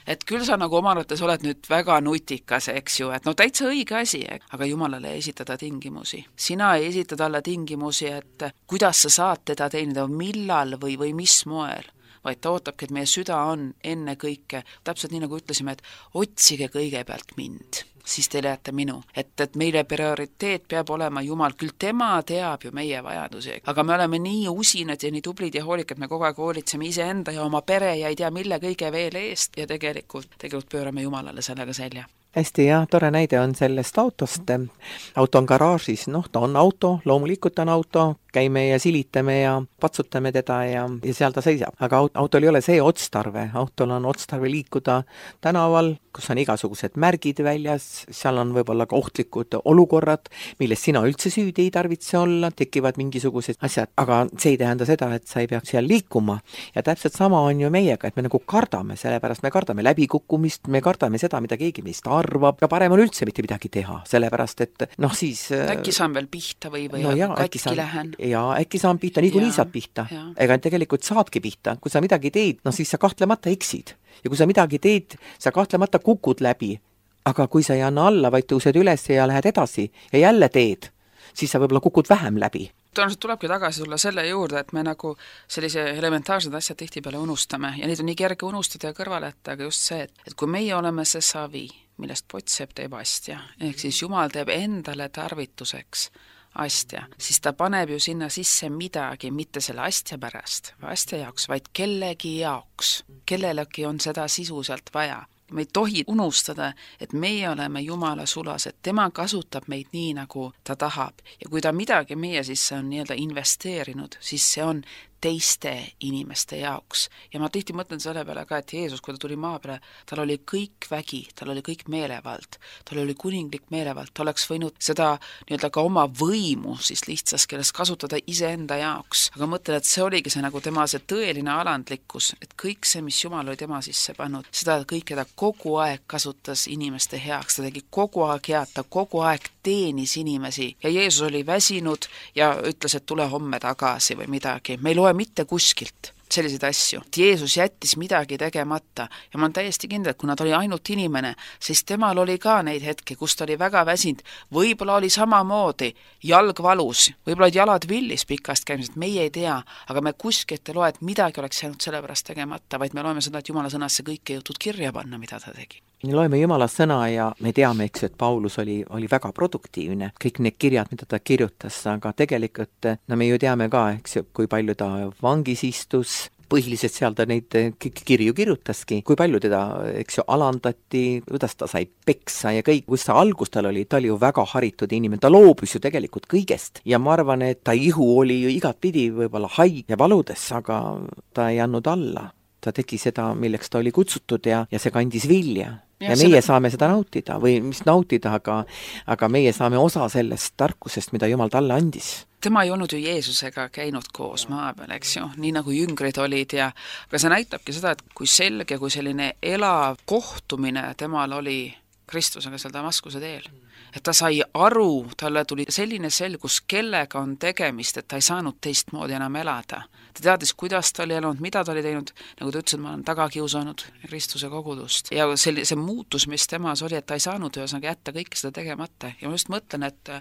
Et küll sa nagu oma arvates oled nüüd väga nutikas, eks ju, et no täitsa õige asi, aga Jumalale ei esitada tingimusi. Sina ei esita talle tingimusi, et kuidas sa saad teda teenida, millal või, või mis moel, vaid ta ootabki, et meie süda on enne kõike, täpselt nii nagu ütlesime, et otsige kõigepealt mind, siis te leiate minu. Et, et meile prioriteet peab olema Jumal, küll tema teab ju meie vajadusi, aga me oleme nii usinad ja nii tublid ja hoolikad, me kogu aeg hoolitseme iseenda ja oma pere ja ei tea mille kõige veel eest ja tegelikult, tegelikult pöörame Jumalale sellega selja. Hästi, jah, tore näide on sellest autost. Auto on garaažis, noh, ta on auto, loomulikult on auto, käime ja silitame ja patsutame teda ja, ja seal ta seisab. Aga autol ei ole see otstarve, autol on otstarve liikuda tänaval, kus on igasugused märgid väljas, seal on võib-olla ka ohtlikud olukorrad, millest sina üldse süüdi ei tarvitse olla, tekivad mingisugused asjad, aga see ei tähenda seda, et sa ei peaks seal liikuma. Ja täpselt sama on ju meiega, et me nagu kardame, sellepärast me kardame läbikukkumist, me kardame seda, mida keegi meist arvab ja parem on üldse mitte midagi teha, sellepärast et noh siis... Äkki saan veel pihta või, või no ja, katki saan, lähen. Ja äkki saan pihta, niikuinii saad pihta. Ja. Ega tegelikult saadki pihta. Kui sa midagi teed, no siis sa kahtlemata eksid. Ja kui sa midagi teed, sa kahtlemata kukud läbi. Aga kui sa ei anna alla, vaid tõused üles ja lähed edasi ja jälle teed, siis sa võib-olla kukud vähem läbi. Tõenäoliselt tulebki tagasi tulla selle juurde, et me nagu sellise elementaarsed asjad tihtipeale unustame ja neid on nii kerge unustada ja kõrvaleta, aga just see, et, et kui meie oleme see savi, millest Potsepp teeb astja, ehk siis Jumal teeb endale tarvituseks astja, siis ta paneb ju sinna sisse midagi, mitte selle astja pärast või astja jaoks, vaid kellegi jaoks. Kellelegi on seda sisu sealt vaja. me ei tohi unustada, et meie oleme Jumala sulas, et tema kasutab meid nii, nagu ta tahab. Ja kui ta midagi meie sisse on nii-öelda investeerinud, siis see on teiste inimeste jaoks. Ja ma tihti mõtlen selle peale ka, et Jeesus, kui ta tuli maa peale, tal oli kõik vägi, tal oli kõik meelevald, tal oli kuninglik meelevald, ta oleks võinud seda nii-öelda ka oma võimu siis lihtsas keeles kasutada iseenda jaoks. Aga mõtlen, et see oligi see nagu tema see tõeline alandlikkus, et kõik see, mis Jumal oli tema sisse pannud, seda kõike ta kogu aeg kasutas inimeste heaks, ta tegi kogu aeg head, ta kogu aeg teenis inimesi ja Jeesus oli väsinud ja ütles, et tule homme tagasi või midagi. Me ei loe mitte kuskilt selliseid asju. Jeesus jättis midagi tegemata ja ma olen täiesti kindel, et kuna ta oli ainult inimene, siis temal oli ka neid hetki, kus ta oli väga väsinud. Võib-olla oli samamoodi jalg valus, võib-olla olid jalad villis pikast käimisest, meie ei tea, aga me kuskilt ei loe, et midagi oleks jäänud sellepärast tegemata, vaid me loeme seda, et Jumala sõnasse kõik ei jõutud kirja panna, mida ta tegi. Me loeme Jumala sõna ja me teame, eks, et Paulus oli, oli väga produktiivne. Kõik need kirjad, mida ta kirjutas, aga tegelikult no me ju teame ka, eks, kui palju ta vangis istus, põhiliselt seal ta neid kirju kirjutaski, kui palju teda, eks ju, alandati, kuidas ta sai peksa ja kõik, kus ta algus tal oli, ta oli ju väga haritud inimene, ta loobus ju tegelikult kõigest ja ma arvan, et ta ihu oli ju igatpidi võib-olla haig ja valudes, aga ta ei andnud alla. Ta tegi seda, milleks ta oli kutsutud ja, ja see kandis vilja. Ja, ja meie selle... saame seda nautida või mis nautida, aga, aga meie saame osa sellest tarkusest, mida Jumal talle andis. Tema ei olnud ju Jeesusega käinud koos maa peal, eks ju, nii nagu jüngrid olid ja aga see näitabki seda, et kui selge, kui selline elav kohtumine temal oli Kristusega seal Damaskuse teel. Et ta sai aru, talle tuli selline selgus, kellega on tegemist, et ta ei saanud teistmoodi enam elada. Ta teadis, kuidas ta oli elanud, mida ta oli teinud, nagu ta ütles, et ma olen tagakiusanud Kristuse kogudust. Ja see, see muutus, mis temas oli, et ta ei saanud ühesõnaga jätta kõike seda tegemata. Ja ma just mõtlen, et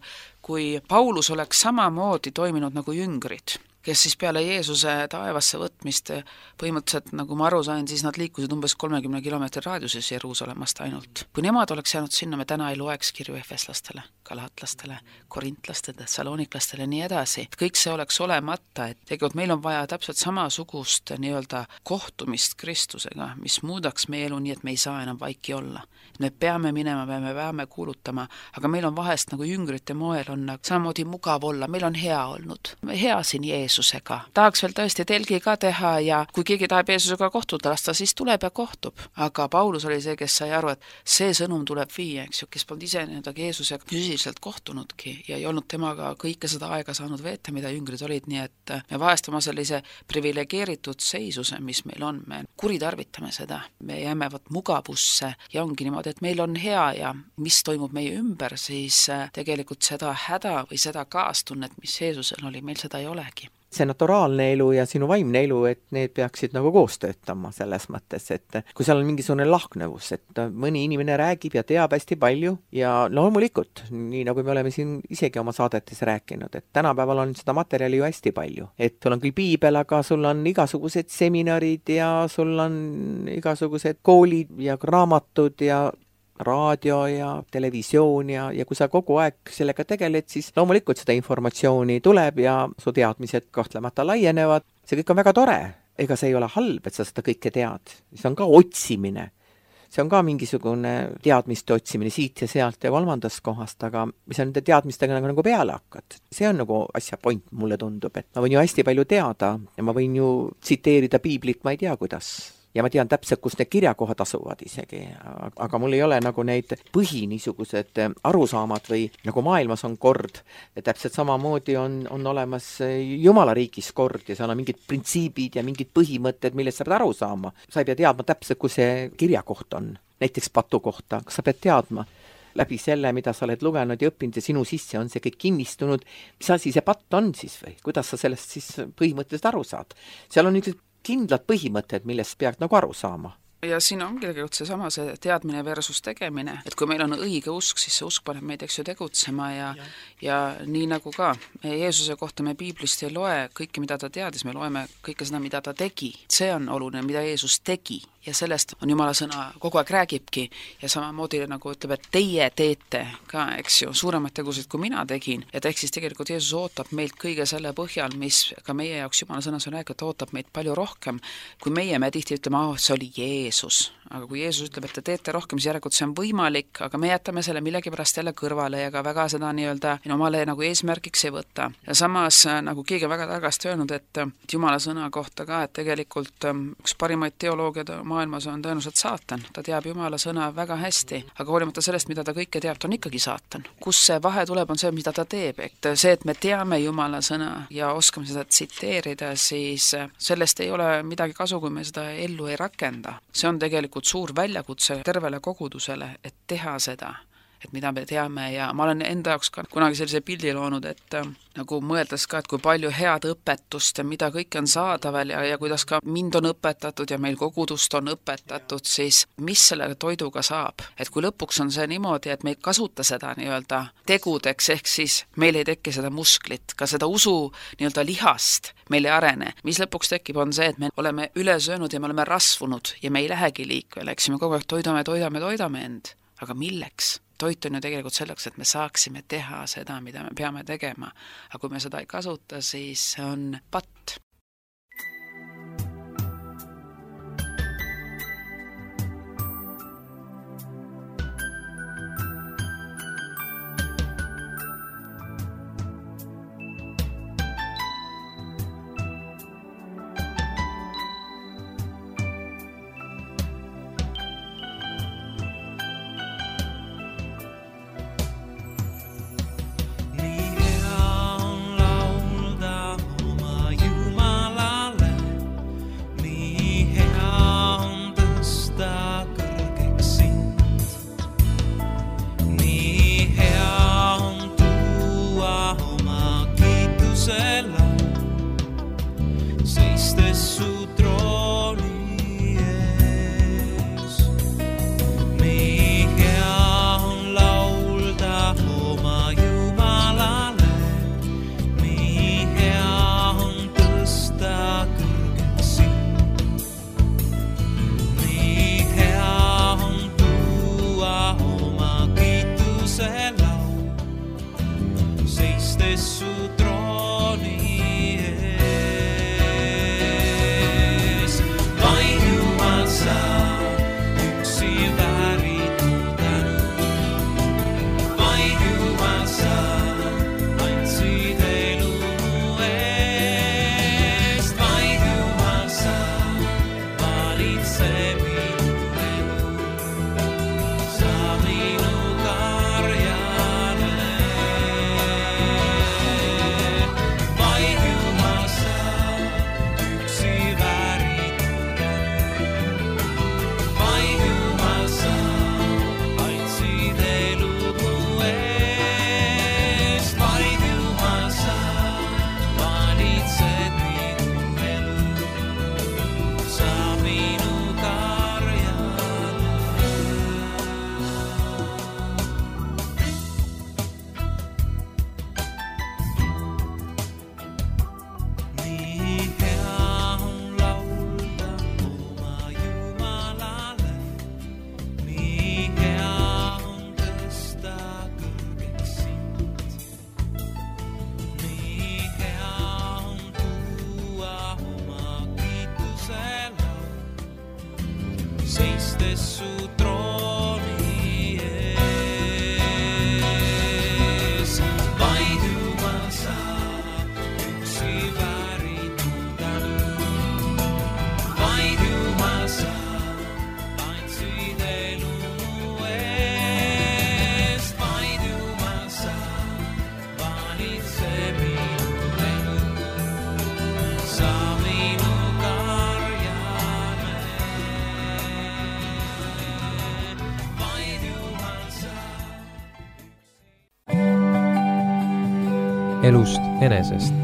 kui Paulus oleks samamoodi toiminud nagu jüngrid, kes siis peale Jeesuse taevasse võtmist põhimõtteliselt, nagu ma aru sain, siis nad liikusid umbes kolmekümne kilomeetri raadiuses Jeruusalemmast ainult. Kui nemad oleks jäänud sinna, me täna ei loeks kirju efeslastele, galatlastele, korintlastele, tessaloniklastele, nii edasi. Kõik see oleks olemata, et tegelikult meil on vaja täpselt samasugust nii-öelda kohtumist Kristusega, mis muudaks meie elu nii, et me ei saa enam vaiki olla. Me peame minema, me peame kuulutama, aga meil on vahest nagu jüngrite moel on samamoodi mugav olla, meil on hea olnud. Hea siin Jeesusega. Tahaks veel tõesti telgi ka teha ja kui keegi tahab Jeesusega kohtuda lasta, siis tuleb ja kohtub. Aga Paulus oli see, kes sai aru, et see sõnum tuleb viia, eks ju, kes polnud ise nii-öelda Jeesusega füüsiliselt kohtunudki ja ei olnud temaga kõike seda aega saanud veeta, mida jüngrid olid, nii et me vahest oma sellise privilegeeritud seisuse, mis meil on, me kuritarvitame seda. Me jääme võt mugavusse ja ongi niimoodi, et meil on hea ja mis toimub meie ümber, siis tegelikult seda häda või seda kaastunnet, mis Jeesusel oli, meil seda ei olegi. See naturaalne elu ja sinu vaimne elu, et need peaksid nagu koos töötama selles mõttes, et kui seal on mingisugune lahknevus, et mõni inimene räägib ja teab hästi palju ja loomulikult, nii nagu me oleme siin isegi oma saadetes rääkinud, et tänapäeval on seda materjali ju hästi palju. Et sul on küll piibel, aga sul on igasugused seminarid ja sul on igasugused koolid ja raamatud ja raadio ja televisioon ja, ja kui sa kogu aeg sellega tegeled, siis loomulikult seda informatsiooni tuleb ja su teadmised kahtlemata laienevad. See kõik on väga tore. Ega see ei ole halb, et sa seda kõike tead. See on ka otsimine. See on ka mingisugune teadmiste otsimine siit ja sealt ja kolmandast kohast, aga mis on nende teadmistega nagu, nagu peale hakkad. See on nagu asja point, mulle tundub, et ma võin ju hästi palju teada ja ma võin ju tsiteerida piiblit, ma ei tea kuidas. Ja ma tean täpselt, kus need kirjakohad asuvad isegi, aga mul ei ole nagu neid põhi niisugused arusaamad või nagu maailmas on kord. Ja täpselt samamoodi on, on olemas Jumala riigis kord ja seal on mingid printsiibid ja mingid põhimõtted, millest sa pead aru saama. Sa ei pea teadma täpselt, kus see kirjakoht on, näiteks patu kohta, kas sa pead teadma läbi selle, mida sa oled lugenud ja õppinud ja sinu sisse on see kõik kinnistunud. Mis asi see patt on siis või? Kuidas sa sellest siis põhimõtteliselt aru saad? Seal on üks kindlad põhimõtted, millest peaks nagu aru saama. Ja siin ongi tegelikult see sama see teadmine versus tegemine, et kui meil on õige usk, siis see usk paneb meid eks ju tegutsema ja, ja. ja nii nagu ka Jeesuse kohta me piiblist ei loe kõike, mida ta teadis, me loeme kõike seda, mida ta tegi. See on oluline, mida Jeesus tegi ja sellest on Jumala sõna kogu aeg räägibki ja samamoodi nagu ütleb, et teie teete ka, eks ju, suuremaid tegusid, kui mina tegin, ja ehk siis tegelikult Jeesus ootab meilt kõige selle põhjal, mis ka meie jaoks Jumala sõnas on räägitud, ootab meid palju rohkem, kui meie me tihti ütleme, oh, see oli Jeesus. Aga kui Jeesus ütleb, et te teete rohkem, siis järelikult see on võimalik, aga me jätame selle millegipärast jälle kõrvale ja ka väga seda nii-öelda omale nagu eesmärgiks ei võta. Ja samas nagu keegi väga targasti öelnud, et Jumala sõna kohta ka, et tegelikult üks parimaid teoloogiad maailmas on tõenäoliselt saatan. Ta teab Jumala sõna väga hästi, aga hoolimata sellest, mida ta kõike teab, ta on ikkagi saatan. Kus see vahe tuleb, on see, mida ta teeb. Et see, et me teame Jumala sõna ja oskame seda tsiteerida, siis sellest ei ole midagi kasu, kui me seda ellu ei rakenda. See on tegelikult suur väljakutse tervele kogudusele, et teha seda, et mida me teame ja ma olen enda jaoks ka kunagi sellise pildi loonud, et äh, nagu mõeldes ka, et kui palju head õpetust ja mida kõik on saadaval ja, ja kuidas ka mind on õpetatud ja meil kogudust on õpetatud, siis mis selle toiduga saab? Et kui lõpuks on see niimoodi, et me ei kasuta seda nii-öelda tegudeks, ehk siis meil ei teki seda musklit, ka seda usu nii-öelda lihast meil ei arene. Mis lõpuks tekib, on see, et me oleme üle söönud ja me oleme rasvunud ja me ei lähegi liikvele, eks me kogu aeg toidame, toidame, toidame end. Aga milleks? Toit on ju tegelikult selleks, et me saaksime teha seda, mida me peame tegema. Aga kui me seda ei kasuta, siis see on patt. elust enesest.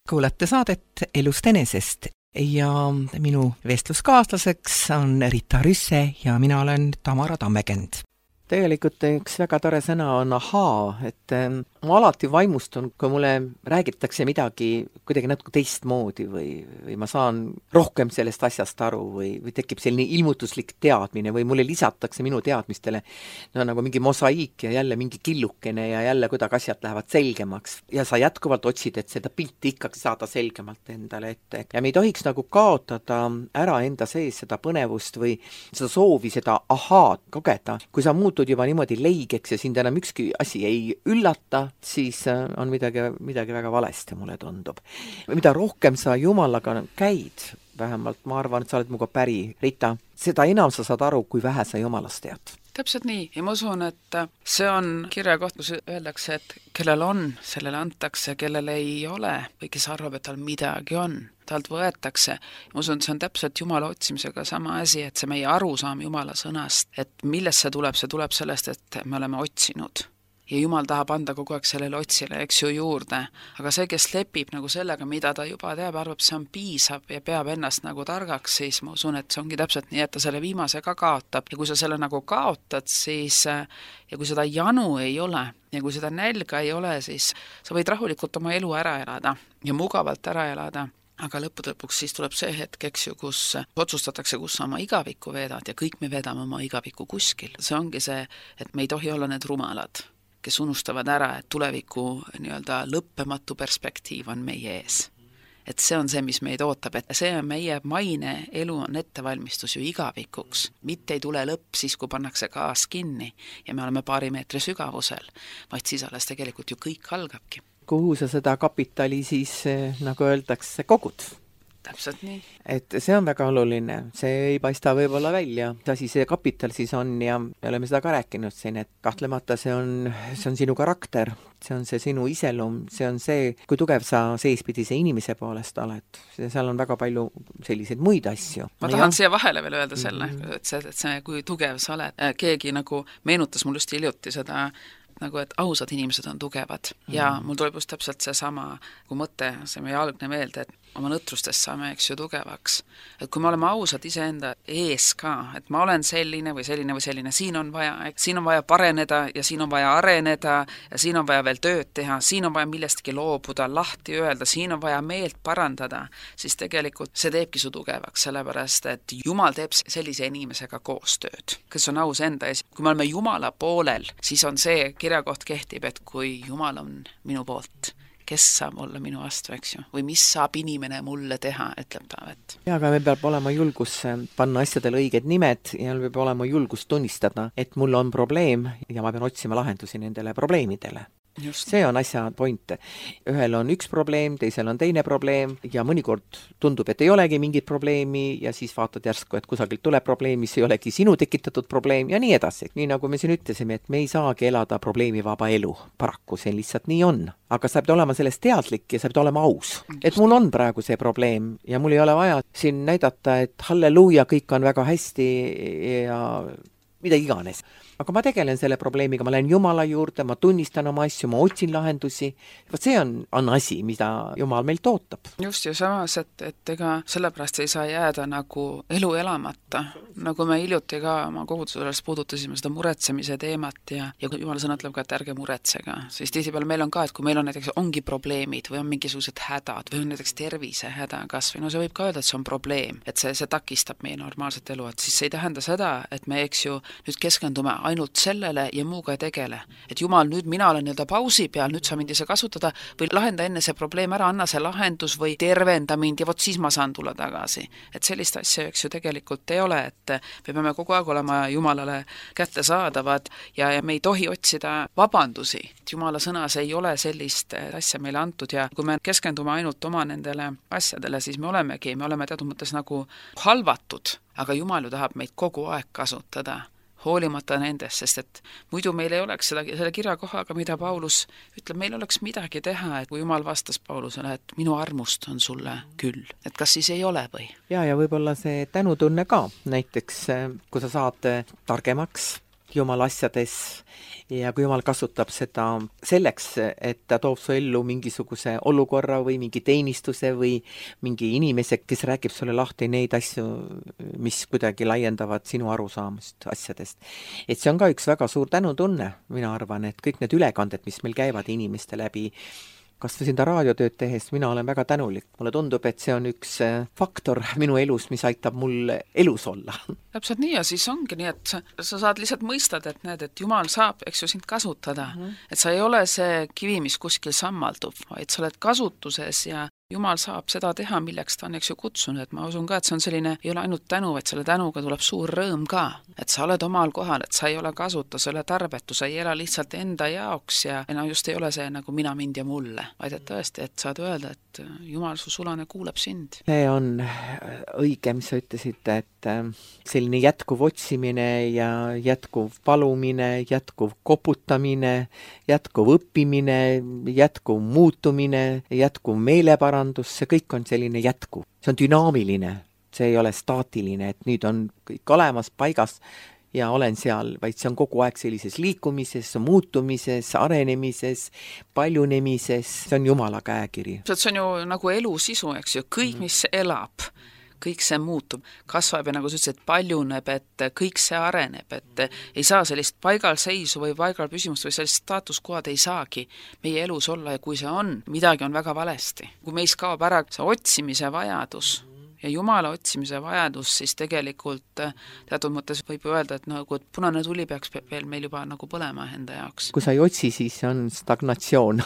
Kuulate saadet Elust enesest ja minu vestluskaaslaseks on Rita Rüsse ja mina olen Tamara Tammekend. tegelikult üks väga tore sõna on ahaa, et ähm, ma alati vaimustun, kui mulle räägitakse midagi kuidagi natuke teistmoodi või, või ma saan rohkem sellest asjast aru või, või tekib selline ilmutuslik teadmine või mulle lisatakse minu teadmistele no nagu mingi mosaiik ja jälle mingi killukene ja jälle kuidagi asjad lähevad selgemaks ja sa jätkuvalt otsid, et seda pilti ikkagi saada selgemalt endale ette. Ja me ei tohiks nagu kaotada ära enda sees seda põnevust või seda soovi, seda ahaad kogeda. Kui sa muutud juba niimoodi leigeks ja sind enam ükski asi ei üllata, siis on midagi, midagi väga valesti, mulle tundub. Mida rohkem sa Jumalaga käid, vähemalt ma arvan, et sa oled muga päri, Rita, seda enam sa saad aru, kui vähe sa Jumalast tead. Täpselt nii, ja ma usun, et see on kirja koht, kus öeldakse, et kellel on, sellele antakse, kellel ei ole või kes arvab, et tal midagi on, talt võetakse. Ma usun, et see on täpselt Jumala otsimisega sama asi, et see meie arusaam Jumala sõnast, et millest see tuleb, see tuleb sellest, et me oleme otsinud. Ja Jumal tahab anda kogu aeg sellele otsile, eks ju, juurde. Aga see, kes lepib nagu sellega, mida ta juba teab, arvab, see on piisab ja peab ennast nagu targaks, siis ma usun, et see ongi täpselt nii, et ta selle viimase ka kaotab. Ja kui sa selle nagu kaotad, siis ja kui seda janu ei ole ja kui seda nälga ei ole, siis sa võid rahulikult oma elu ära elada ja mugavalt ära elada. Aga lõppude lõpuks siis tuleb see hetk, eks ju, kus otsustatakse, kus sa oma igavikku veedad ja kõik me vedame oma igavikku kuskil. See ongi see, et me ei tohi olla need rumalad, kes unustavad ära, et tuleviku nii-öelda lõppematu perspektiiv on meie ees. Et see on see, mis meid ootab, et see on meie maine elu on ettevalmistus ju igavikuks. Mitte ei tule lõpp siis, kui pannakse gaas kinni ja me oleme paari meetri sügavusel, vaid siis alles tegelikult ju kõik algabki. Kuhu sa seda kapitali siis, nagu öeldakse, kogud? Täpselt nii. Et see on väga oluline, see ei paista võib-olla välja, mis asi see kapital siis on ja me oleme seda ka rääkinud siin, et kahtlemata see on, see on sinu karakter, see on see sinu iselum, see on see, kui tugev sa seespidise inimese poolest oled. Seal on väga palju selliseid muid asju. Ma tahan ja. siia vahele veel öelda selle, mm-hmm. et see, et see, kui tugev sa oled. Keegi nagu meenutas mul just hiljuti seda nagu, et ausad inimesed on tugevad mm. ja mul tuleb just täpselt see sama kui mõte, see meie algne meelde, et oma nõtrustest saame, eks ju, tugevaks. Et kui me oleme ausad iseenda ees ka, et ma olen selline või selline või selline, siin on vaja, siin on vaja pareneda ja siin on vaja areneda ja siin on vaja veel tööd teha, siin on vaja millestki loobuda, lahti öelda, siin on vaja meelt parandada, siis tegelikult see teebki su tugevaks, sellepärast, et Jumal teeb sellise inimesega koostööd, kes on aus enda ees. Kui me oleme Jumala poolel, siis on see kirjakoht kehtib, et kui Jumal on minu poolt, kes saab olla minu vastu, eks ju, või mis saab inimene mulle teha, ütleb Taavet. Ja, aga meil peab olema julgus panna asjadele õiged nimed ja meil peab olema julgus tunnistada, et mul on probleem ja ma pean otsima lahendusi nendele probleemidele. Just. See on asja point. Ühel on üks probleem, teisel on teine probleem ja mõnikord tundub, et ei olegi mingit probleemi ja siis vaatad järsku, et kusagilt tuleb probleem, mis ei olegi sinu tekitatud probleem ja nii edasi. Nii nagu me siin ütlesime, et me ei saagi elada probleemivaba elu. Paraku see lihtsalt nii on. Aga sa pead olema sellest teadlik ja sa pead olema aus. Et mul on praegu see probleem ja mul ei ole vaja siin näidata, et halleluuja, kõik on väga hästi ja mida iganes. Aga ma tegelen selle probleemiga, ma lähen Jumala juurde, ma tunnistan oma asju, ma otsin lahendusi. Vaat see on, on asi, mida Jumal meilt ootab. Just ja samas, et, et ega sellepärast ei saa jääda nagu elu elamata. Nagu me hiljuti ka oma koguduses puudutasime seda muretsemise teemat ja, ja Jumala sõna ütleb ka, et ärge muretsega. Siis tihtipeale meil on ka, et kui meil on näiteks ongi probleemid või on mingisugused hädad või on näiteks tervisehäda kas või no see võib ka öelda, et see on probleem, et see, see takistab meie normaalset elu, et siis see ei tähenda seda, et me eks ju nüüd keskendume ainult sellele ja muuga ei tegele. Et Jumal, nüüd mina olen nii-öelda pausi peal, nüüd sa mind ei saa kasutada või lahenda enne see probleem ära, anna see lahendus või tervenda mind ja vot siis ma saan tulla tagasi. Et sellist asja, eks ju, tegelikult ei ole, et me peame kogu aeg olema Jumalale kätte saadavad ja, ja me ei tohi otsida vabandusi. Jumala sõnas ei ole sellist asja meile antud ja kui me keskendume ainult oma nendele asjadele, siis me olemegi, me oleme teatud mõttes nagu halvatud, aga Jumal ju tahab meid kogu aeg kasutada. Hoolimata nendest, sest et muidu meil ei oleks seda, selle kirjakohaga, mida Paulus ütleb, meil oleks midagi teha, et kui Jumal vastas Paulusele, et minu armust on sulle küll. Et kas siis ei ole või? Ja, ja võib-olla see tänutunne ka, näiteks kui sa saad targemaks, Jumala asjades ja kui Jumal kasutab seda selleks, et ta toob su ellu mingisuguse olukorra või mingi teenistuse või mingi inimese, kes räägib sulle lahti neid asju, mis kuidagi laiendavad sinu arusaamust asjadest. Et see on ka üks väga suur tänutunne, mina arvan, et kõik need ülekanded, mis meil käivad inimeste läbi, kas või seda raadiotööd tehes, mina olen väga tänulik. Mulle tundub, et see on üks faktor minu elus, mis aitab mul elus olla. Täpselt nii ja siis ongi nii, et sa, sa saad lihtsalt mõistad, et need, et Jumal saab, eks ju, sind kasutada. Mm -hmm. Et sa ei ole see kivi, mis kuskil sammaldub, vaid sa oled kasutuses ja Jumal saab seda teha, milleks ta on, eks ju, kutsunud, et ma usun ka, et see on selline, ei ole ainult tänu, vaid selle tänuga tuleb suur rõõm ka, et sa oled omal kohal, et sa ei ole kasuta, sa ei ole tarbetu, sa ei ela lihtsalt enda jaoks ja no just ei ole see nagu mina, mind ja mulle, vaid et tõesti, et saad öelda, et Jumal su sulane kuuleb sind. See on õige, mis sa ütlesid, et selline jätkuv otsimine ja jätkuv palumine, jätkuv koputamine, jätkuv õppimine, jätkuv muutumine, jätkuv meeleparandus, see kõik on selline jätkuv. See on dünaamiline, see ei ole staatiline, et nüüd on kõik olemas, paigas ja olen seal, vaid see on kogu aeg sellises liikumises, muutumises, arenemises, paljunemises, see on Jumala käekiri. See on ju nagu elu sisu, eks ju, kõik, mis elab, kõik see muutub, kasvab ja nagu sa ütlesid, paljuneb, et kõik see areneb, et ei saa sellist paigalseisu või paigal püsimust või sellist staatuskohad ei saagi meie elus olla ja kui see on, midagi on väga valesti. Kui meis kaob ära see otsimise vajadus ja Jumala otsimise vajadus, siis tegelikult teatud mõttes võib öelda, et nagu et punane tuli peaks veel meil juba nagu põlema enda jaoks. Kui sa ei otsi, siis on stagnatsioon.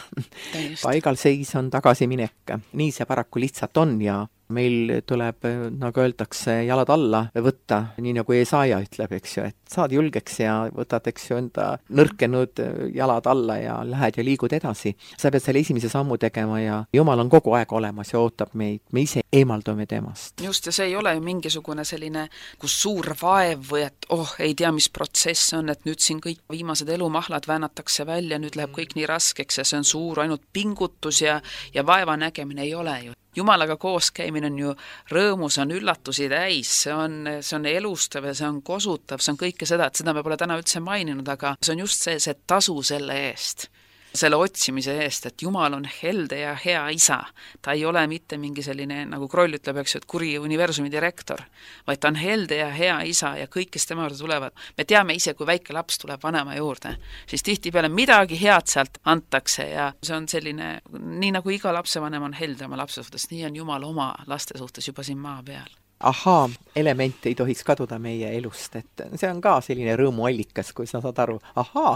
Paigalseis on tagasiminek. Nii see paraku lihtsalt on ja meil tuleb, nagu öeldakse, jalad alla võtta, nii nagu Jesaja ütleb, eks ju, et saad julgeks ja võtad, eks ju, enda nõrkenud jalad alla ja lähed ja liigud edasi. Sa pead selle esimese sammu tegema ja Jumal on kogu aeg olemas ja ootab meid, me ise eemaldume temast. Just, ja see ei ole ju mingisugune selline, kus suur vaev või et oh, ei tea, mis protsess on, et nüüd siin kõik viimased elumahlad väänatakse välja, nüüd läheb kõik nii raskeks ja see on suur ainult pingutus ja, ja vaeva nägemine ei ole ju. Jumalaga koos käimine on ju rõõmu, see on üllatusi täis, see on, see on elustav ja see on kosutav, see on kõike seda, et seda me pole täna üldse maininud, aga see on just see, see tasu selle eest, selle otsimise eest, et Jumal on helde ja hea isa. Ta ei ole mitte mingi selline, nagu Kroll ütleb, eks, et kuri universumi direktor, vaid ta on helde ja hea isa ja kõik, kes tema juurde tulevad. Me teame ise, kui väike laps tuleb vanema juurde, siis tihtipeale midagi head sealt antakse ja see on selline, nii nagu iga lapsevanem on helde oma lapse suhtes, nii on Jumal oma laste suhtes juba siin maa peal. Ahaa, element ei tohiks kaduda meie elust, et see on ka selline rõõmuallikas, kui sa saad aru, ahaa,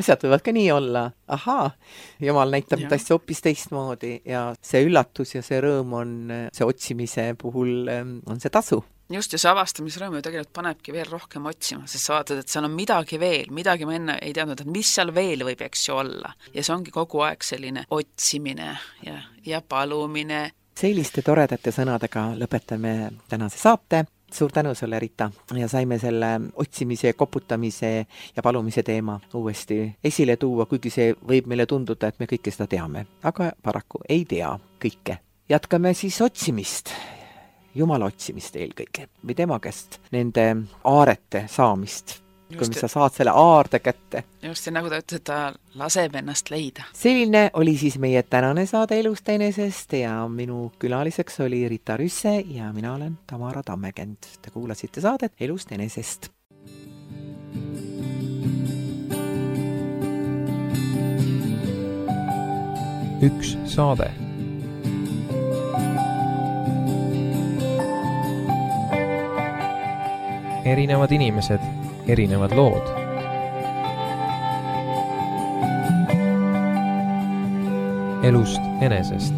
asjad võivad ka nii olla, ahaa, Jumal näitab et asja hoopis teistmoodi ja see üllatus ja see rõõm on, see otsimise puhul on see tasu. Just, ja see avastamisrõõm ju tegelikult panebki veel rohkem otsima, sest sa vaatad, et seal on midagi veel, midagi ma enne ei teadnud, et mis seal veel võib, eks ju olla. Ja see ongi kogu aeg selline otsimine ja, ja palumine. Selliste toredate sõnadega lõpetame tänase saate. Suur tänu sulle, Rita, ja saime selle otsimise, koputamise ja palumise teema uuesti esile tuua, kuigi see võib meile tunduda, et me kõike seda teame, aga paraku ei tea kõike. Jätkame siis otsimist, Jumala otsimist eelkõige või tema käest, nende aarete saamist. Kui sa saad selle aarde kätte. Just, ja nagu ta ütles, et ta laseb ennast leida. Selline oli siis meie tänane saade Elust enesest ja minu külaliseks oli Rita Rüsse ja mina olen Tamara Tammekend. Te kuulasite saadet Elust enesest. Üks saade. Erinevad inimesed, erinevad lood. Elust enesest.